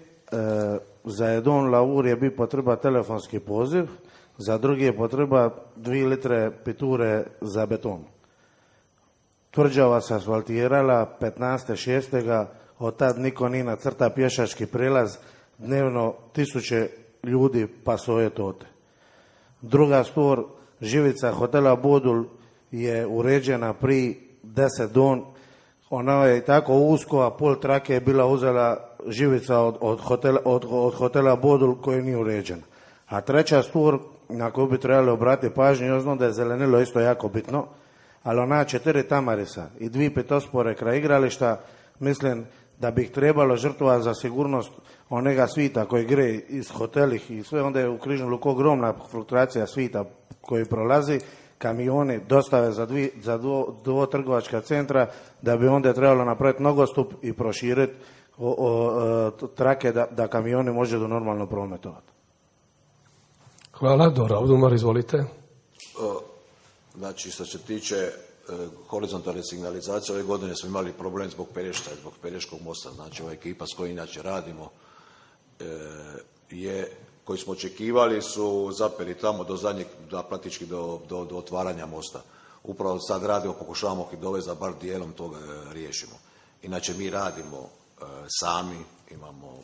za jedan lavur je bi potreba telefonski poziv, za drugi je potreba dvije litre piture za beton. Tvrđava se asfaltirala petnaeste šestega od tad niko nije nacrta pješački prilaz, dnevno tisuće ljudi pasuje tote. Druga stvar, živica hotela Bodul je uređena pri deset don, ona je tako usko, a pol trake je bila uzela živica od, od, hotela, od, od hotela Bodul koji nije uređena. A treća stvar na koju bi trebali obratiti pažnju, ja znam da je zelenilo isto jako bitno, ali ona četiri tamarisa i dvije petospore kraj igrališta, mislim da bi ih trebalo žrtvovati za sigurnost onega svita koji gre iz hotelih i sve, onda je u Križnom luku ogromna fluktuacija svita koji prolazi, kamioni dostave za, dvi, za dvo, dvo trgovačka centra, da bi onda trebalo napraviti nogostup i proširiti o, o, o, trake da, da kamioni može do normalno prometovati. Hvala. Dora Odumar, izvolite. Znači, što se tiče horizontalne signalizacije, ove godine smo imali problem zbog Pelješka, zbog Pelješkog mosta. Znači, ova ekipa s kojom inače radimo je, koji smo očekivali, su zapeli tamo do zadnjeg, da praktički do, do, do otvaranja mosta. Upravo sad radimo, pokušavamo ih dovesti da bar dijelom toga riješimo. Inače, mi radimo sami, imamo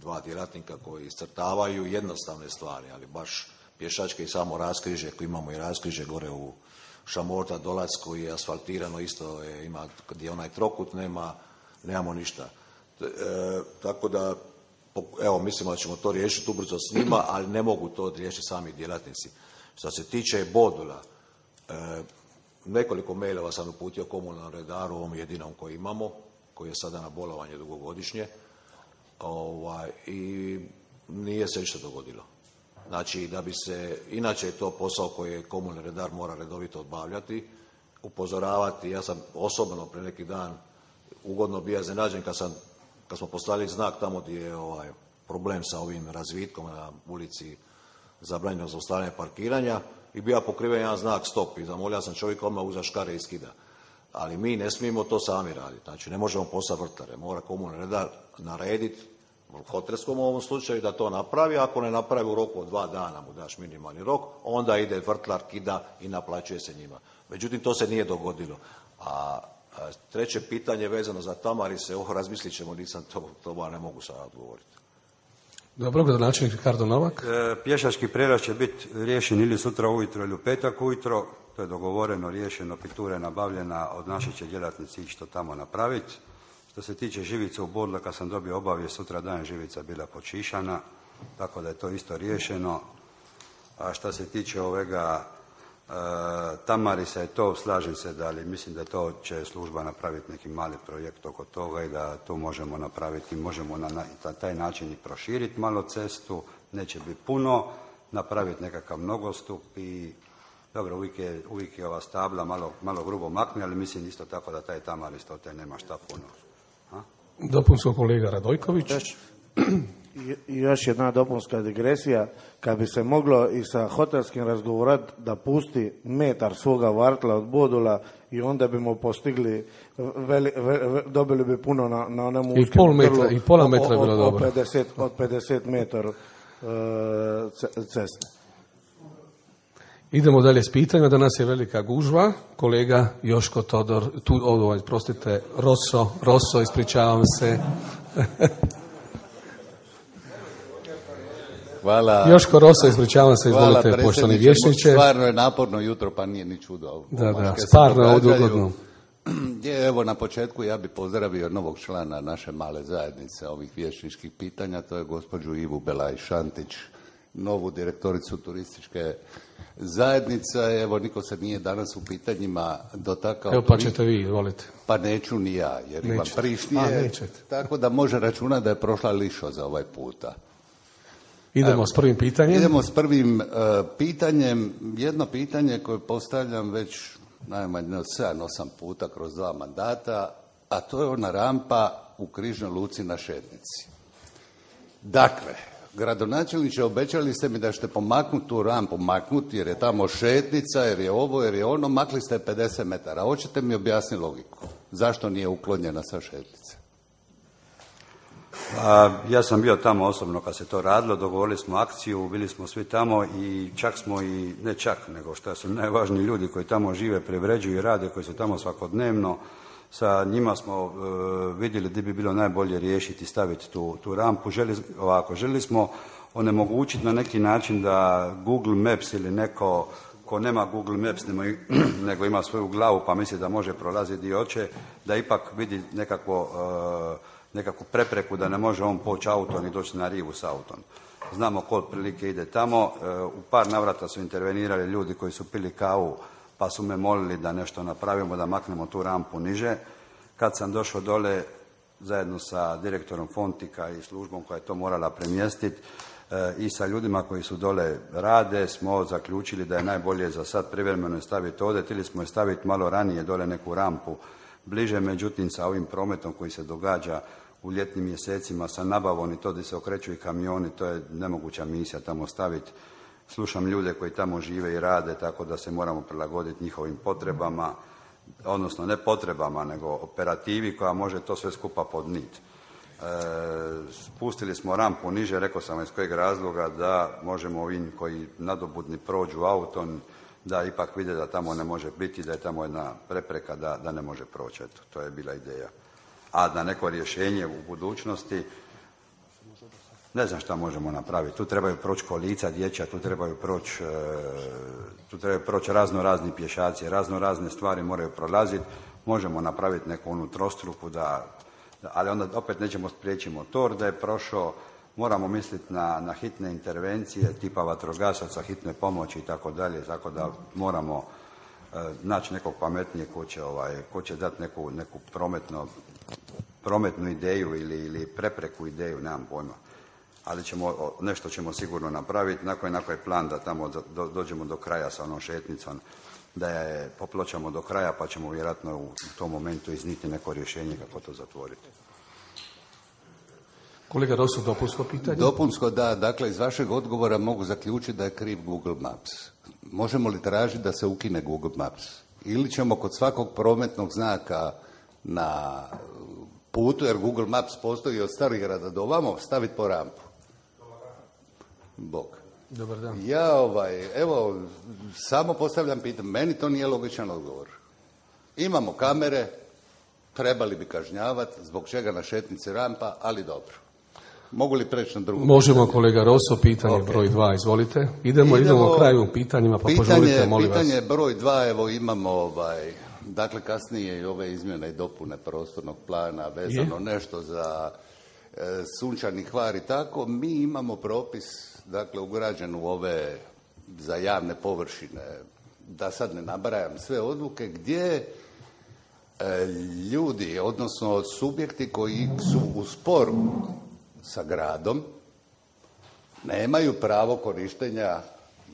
dva djelatnika koji iscrtavaju jednostavne stvari, ali baš pješačke i samo raskriže, koji imamo i raskriže gore u Šamorta, Dolacku je asfaltirano, isto je, ima, kad je onaj trokut, nema, nemamo ništa. E, tako da, evo, mislimo da ćemo to riješiti ubrzo s njima, ali ne mogu to riješiti sami djelatnici. Što se tiče bodula, e, nekoliko mailova sam uputio komunalnom redaru, ovom jedinom koji imamo, koji je sada na bolovanje dugogodišnje, ovaj, i nije se ništa dogodilo. Znači, da bi se, inače je to posao koji komunalni redar mora redovito obavljati, upozoravati. Ja sam osobno pre neki dan ugodno bio iznenađen kad, sam, kad smo postavili znak tamo gdje je ovaj, problem sa ovim razvitkom na ulici zabranjeno zaustavljanje parkiranja i bio pokriven jedan znak stop i zamolio sam čovjeka odmah uza škare i skida. Ali mi ne smijemo to sami raditi. Znači, ne možemo poslati vrtlare. Mora komunalni redar narediti hotelskom u ovom slučaju da to napravi. Ako ne napravi u roku od dva dana, mu daš minimalni rok, onda ide vrtlar, kida i naplaćuje se njima. Međutim, to se nije dogodilo. A, a treće pitanje vezano za Tamarise, ovo razmislit ćemo, nisam to, to ne mogu sada odgovoriti. Dobro, gradonačelnik Ricardo Novak. E, pješački prijelaz će biti riješen ili sutra ujutro ili u petak ujutro. To je dogovoreno, riješeno, pitura je nabavljena, od naše će djelatnici ići to tamo napraviti. Što se tiče živice u Bodula, kad sam dobio obavijest, sutra dan živica bila počišana, tako da je to isto riješeno. A što se tiče ovega e, Tamarisa, je to, slažem se da, ali mislim da to će služba napraviti neki mali projekt oko toga i da to možemo napraviti, možemo na, na taj način i proširiti malo cestu, neće biti puno, napraviti nekakav nogostup i dobro, uvijek je, uvijek je ova stabla malo, malo grubo makne, ali mislim isto tako da taj Tamaris to te nema šta puno. A? Dopunsko kolega Radojković. Još, još jedna dopunska digresija. Kad bi se moglo i sa hotelskim razgovorat da pusti metar svoga vartla od Bodula i onda bimo postigli, veli, ve, dobili bi puno na, na onom I pol metra, i pola metra bilo dobro. Od pedeset, od pedeset metara uh, ceste. Idemo dalje s pitanjima. Danas je velika gužva. Kolega Joško Todor, tu, ovo, prostite, Rosso, Rosso, ispričavam se. Hvala. Joško Rosso, ispričavam se, izvolite, poštovani vječniče. Stvarno je naporno jutro, pa nije ni čudo. Da, da, stvarno je ugodno. Evo, na početku ja bih pozdravio novog člana naše male zajednice ovih vječničkih pitanja, to je gospođu Ivu Belaj-Šantić, novu direktoricu turističke zajednice. Evo, niko se nije danas u pitanjima dotakao. Evo, pa ćete vi, izvolite. Pa neću ni ja, jer Nećete. imam prišnije, tako da može računati da je prošla lišo za ovaj puta. Idemo Evo, s prvim pitanjem. Idemo s prvim uh, pitanjem. Jedno pitanje koje postavljam već najmanje od sedam osam puta kroz dva mandata, a to je ona rampa u križnoj luci na Šetnici. Dakle, gradonačelniče, obećali ste mi da ćete pomaknuti tu rampu, maknuti jer je tamo šetnica, jer je ovo, jer je ono, makli ste pedeset metara. Hoćete mi objasniti logiku? Zašto nije uklonjena sa šetnice? A, ja sam bio tamo osobno kad se to radilo, dogovorili smo akciju, bili smo svi tamo i čak smo i, ne čak, nego što su najvažniji ljudi koji tamo žive, privređuju i rade, koji su tamo svakodnevno, sa njima smo uh, vidjeli gdje bi bilo najbolje riješiti, staviti tu, tu rampu. Želi, ovako, želi smo onemogućiti na neki način da Google Maps ili neko ko nema Google Maps nego ima svoju glavu pa misli da može prolaziti gdje hoće, da ipak vidi nekakvo, uh, nekakvu prepreku da ne može on poći autom i doći na rivu s autom. Znamo ko otprilike ide tamo. Uh, u par navrata su intervenirali ljudi koji su pili kavu pa su me molili da nešto napravimo, da maknemo tu rampu niže. Kad sam došao dole, zajedno sa direktorom Fontika i službom koja je to morala premjestiti e, i sa ljudima koji su dole rade, smo zaključili da je najbolje za sad privremeno je staviti ovdje, ili smo je staviti malo ranije dole neku rampu bliže, međutim sa ovim prometom koji se događa u ljetnim mjesecima sa nabavom i to gdje se okreću i kamioni, to je nemoguća misija tamo staviti. Slušam ljude koji tamo žive i rade, tako da se moramo prilagoditi njihovim potrebama, odnosno ne potrebama, nego operativi koja može to sve skupa podnijeti. E, spustili smo rampu niže, rekao sam iz kojeg razloga, da možemo ovim koji nadobudni prođu autom, da ipak vide da tamo ne može biti, da je tamo jedna prepreka da, da ne može proći. Eto, to je bila ideja. A da neko rješenje u budućnosti, Ne znam šta možemo napraviti. Tu trebaju proći kolica dječja, tu trebaju proći tu trebaju proći razno razni pješaci, razno razne stvari moraju prolaziti. Možemo napraviti neku onu trostruku, da, da, ali onda opet nećemo sprijeći motor da je prošao. Moramo misliti na, na hitne intervencije, tipa vatrogasaca, hitne pomoći i tako dalje, tako da moramo e, naći nekog pametnijeg ko će, ovaj, ko će dati neku, neku prometno, prometnu ideju ili, ili prepreku ideju, nemam pojma. Ali ćemo, nešto ćemo sigurno napraviti, na koji, na koji plan da tamo do, dođemo do kraja sa onom šetnicom, da je popločamo do kraja, pa ćemo vjerojatno u tom momentu izniti neko rješenje kako to zatvoriti. Kolega Rosu, dopunsko pitanje? Dopunsko, da. Dakle, iz vašeg odgovora mogu zaključiti da je kriv Google Maps. Možemo li tražiti da se ukine Google Maps? Ili ćemo kod svakog prometnog znaka na putu, jer Google Maps postoji od Starigrada do ovamo, staviti po rampu? Bog. Dobar dan. Ja, ovaj, evo, samo postavljam pitanje. Meni to nije logičan odgovor. Imamo kamere, trebali bi kažnjavati, zbog čega na šetnici rampa, ali dobro. Mogu li preći na drugo? Možemo, kolega Roso, pitanje okay. broj dva, izvolite. Idemo, idemo, idemo kraju pitanjima, pa pitanje, požurite, molim pitanje vas. Pitanje broj dva, evo imamo, ovaj, dakle, kasnije i ove izmjene i dopune prostornog plana, vezano Je? nešto za e, Sunčani Hvar i tako. Mi imamo propis, dakle, ugrađen u ove za javne površine, da sad ne nabrajam sve odluke, gdje e, ljudi, odnosno subjekti koji su u sporu sa gradom, nemaju pravo korištenja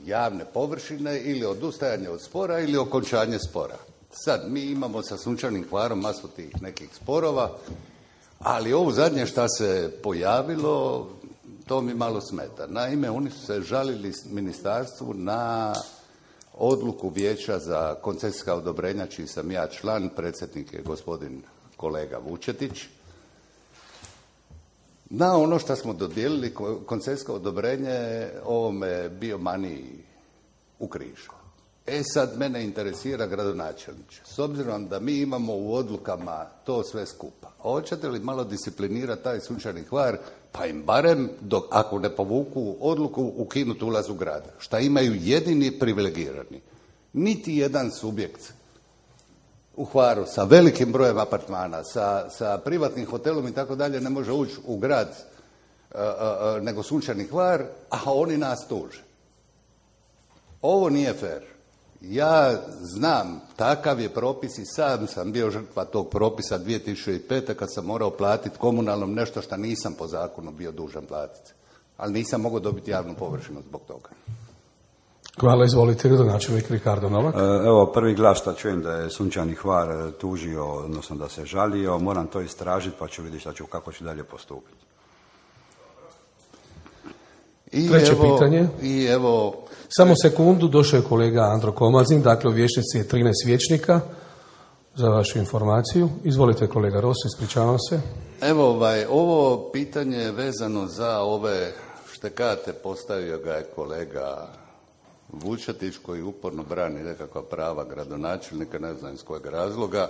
javne površine ili odustajanje od spora ili okončanje spora. Sad, mi imamo sa Sunčanim Hvarom masu tih nekih sporova, ali ovo zadnje šta se pojavilo, to mi malo smeta. Naime, oni su se žalili ministarstvu na odluku Vijeća za koncesijska odobrenja, čiji sam ja član, predsjednik je gospodin kolega Vučetić, na ono što smo dodijelili koncesijsko odobrenje ovome biomaniji u Križu. E sad, mene interesira gradonačelniče. S obzirom da mi imamo u odlukama to sve skupa, hoćete li malo disciplinirati taj Sunčani Hvar, pa im barem, dok, ako ne povuku odluku, ukinuti ulaz u grad, šta imaju jedini privilegirani. Niti jedan subjekt u Hvaru sa velikim brojem apartmana, sa, sa privatnim hotelom i tako dalje ne može ući u grad uh, uh, nego Sunčani Hvar, a oni nas tuže. Ovo nije fair. Ja znam, takav je propis i sam sam bio žrtva tog propisa dvije tisuće pete kad sam morao platiti komunalnom nešto što nisam po zakonu bio dužan platiti. Ali nisam mogao dobiti javnu površinu zbog toga. Hvala, izvolite, gradonačelnik Ricardo Novak. Evo, prvi glas što čujem da je Sunčani Hvar tužio, odnosno da se žalio, moram to istražiti pa ću vidjeti šta ću, kako ću dalje postupiti. I Treće evo, pitanje. I evo... Samo sekundu, došao je kolega Andro Komazin, dakle u vijećnici je trinaest vijećnika, za vašu informaciju. Izvolite, kolega Rosi, ispričavam se. Evo, ovaj, ovo pitanje je vezano za ove štekate, postavio ga je kolega Vučetić, koji uporno brani nekakva prava gradonačelnika, ne znam iz kojeg razloga,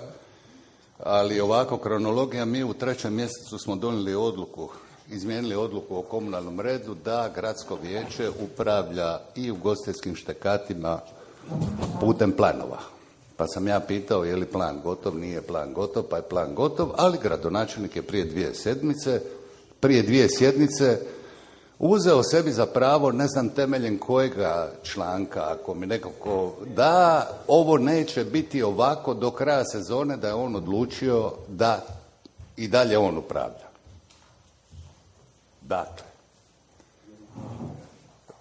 ali ovako kronologija, mi u trećem mjesecu smo donijeli odluku, izmijenili odluku o komunalnom redu da gradsko vijeće upravlja i ugostiteljskim štekatima putem planova. Pa sam ja pitao je li plan gotov, nije plan gotov, pa je plan gotov, ali gradonačelnik je prije dvije sedmice, prije dvije sjednice uzeo sebi za pravo, ne znam temeljem kojega članka, ako mi nekako, da ovo neće biti ovako do kraja sezone, da je on odlučio da i dalje on upravlja. Dakle,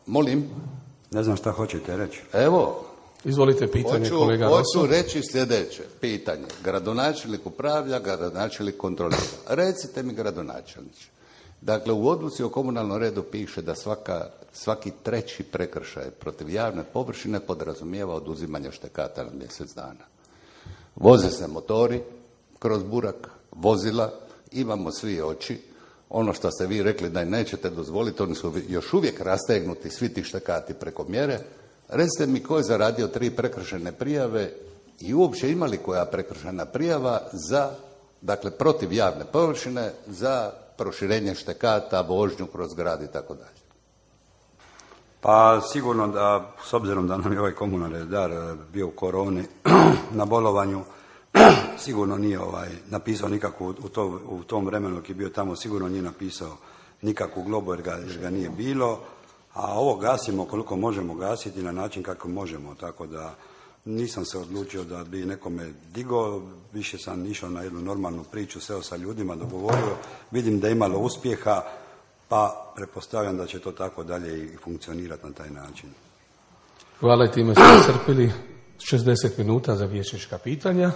molim. Ne znam šta hoćete reći. Evo. Izvolite pitanje, hoću, kolega Rosu. Hoću reći sljedeće pitanje. Gradonačelnik upravlja, gradonačelnik kontrolira. Recite mi, gradonačelniče. Dakle, u odluci o komunalnom redu piše da svaka, svaki treći prekršaj protiv javne površine podrazumijeva oduzimanje štekata na mjesec dana. Voze se motori kroz burak, vozila, imamo svi oči. Ono što ste vi rekli da nećete dozvoliti, oni su još uvijek rastegnuti, svi ti štekati preko mjere. Recite mi ko je zaradio tri prekršajne prijave i uopće imali koja prekršajna prijava za, dakle, protiv javne površine za proširenje štekata, vožnju kroz grad i tako dalje? Pa sigurno da, s obzirom da nam je ovaj komunalni redar bio u koroni na bolovanju, sigurno nije ovaj, napisao nikakvu, u, to, u tom vremenu dok je bio tamo, sigurno nije napisao nikakvu globu jer ga, jer ga nije bilo, a ovo gasimo koliko možemo gasiti na način kako možemo, tako da nisam se odlučio da bi nekome digao, više sam išao na jednu normalnu priču, seo sa ljudima, dogovorio, vidim da je imalo uspjeha, pa pretpostavljam da će to tako dalje i funkcionirati na taj način. Hvala i time smo iscrpili šezdeset minuta za vijećnička pitanja.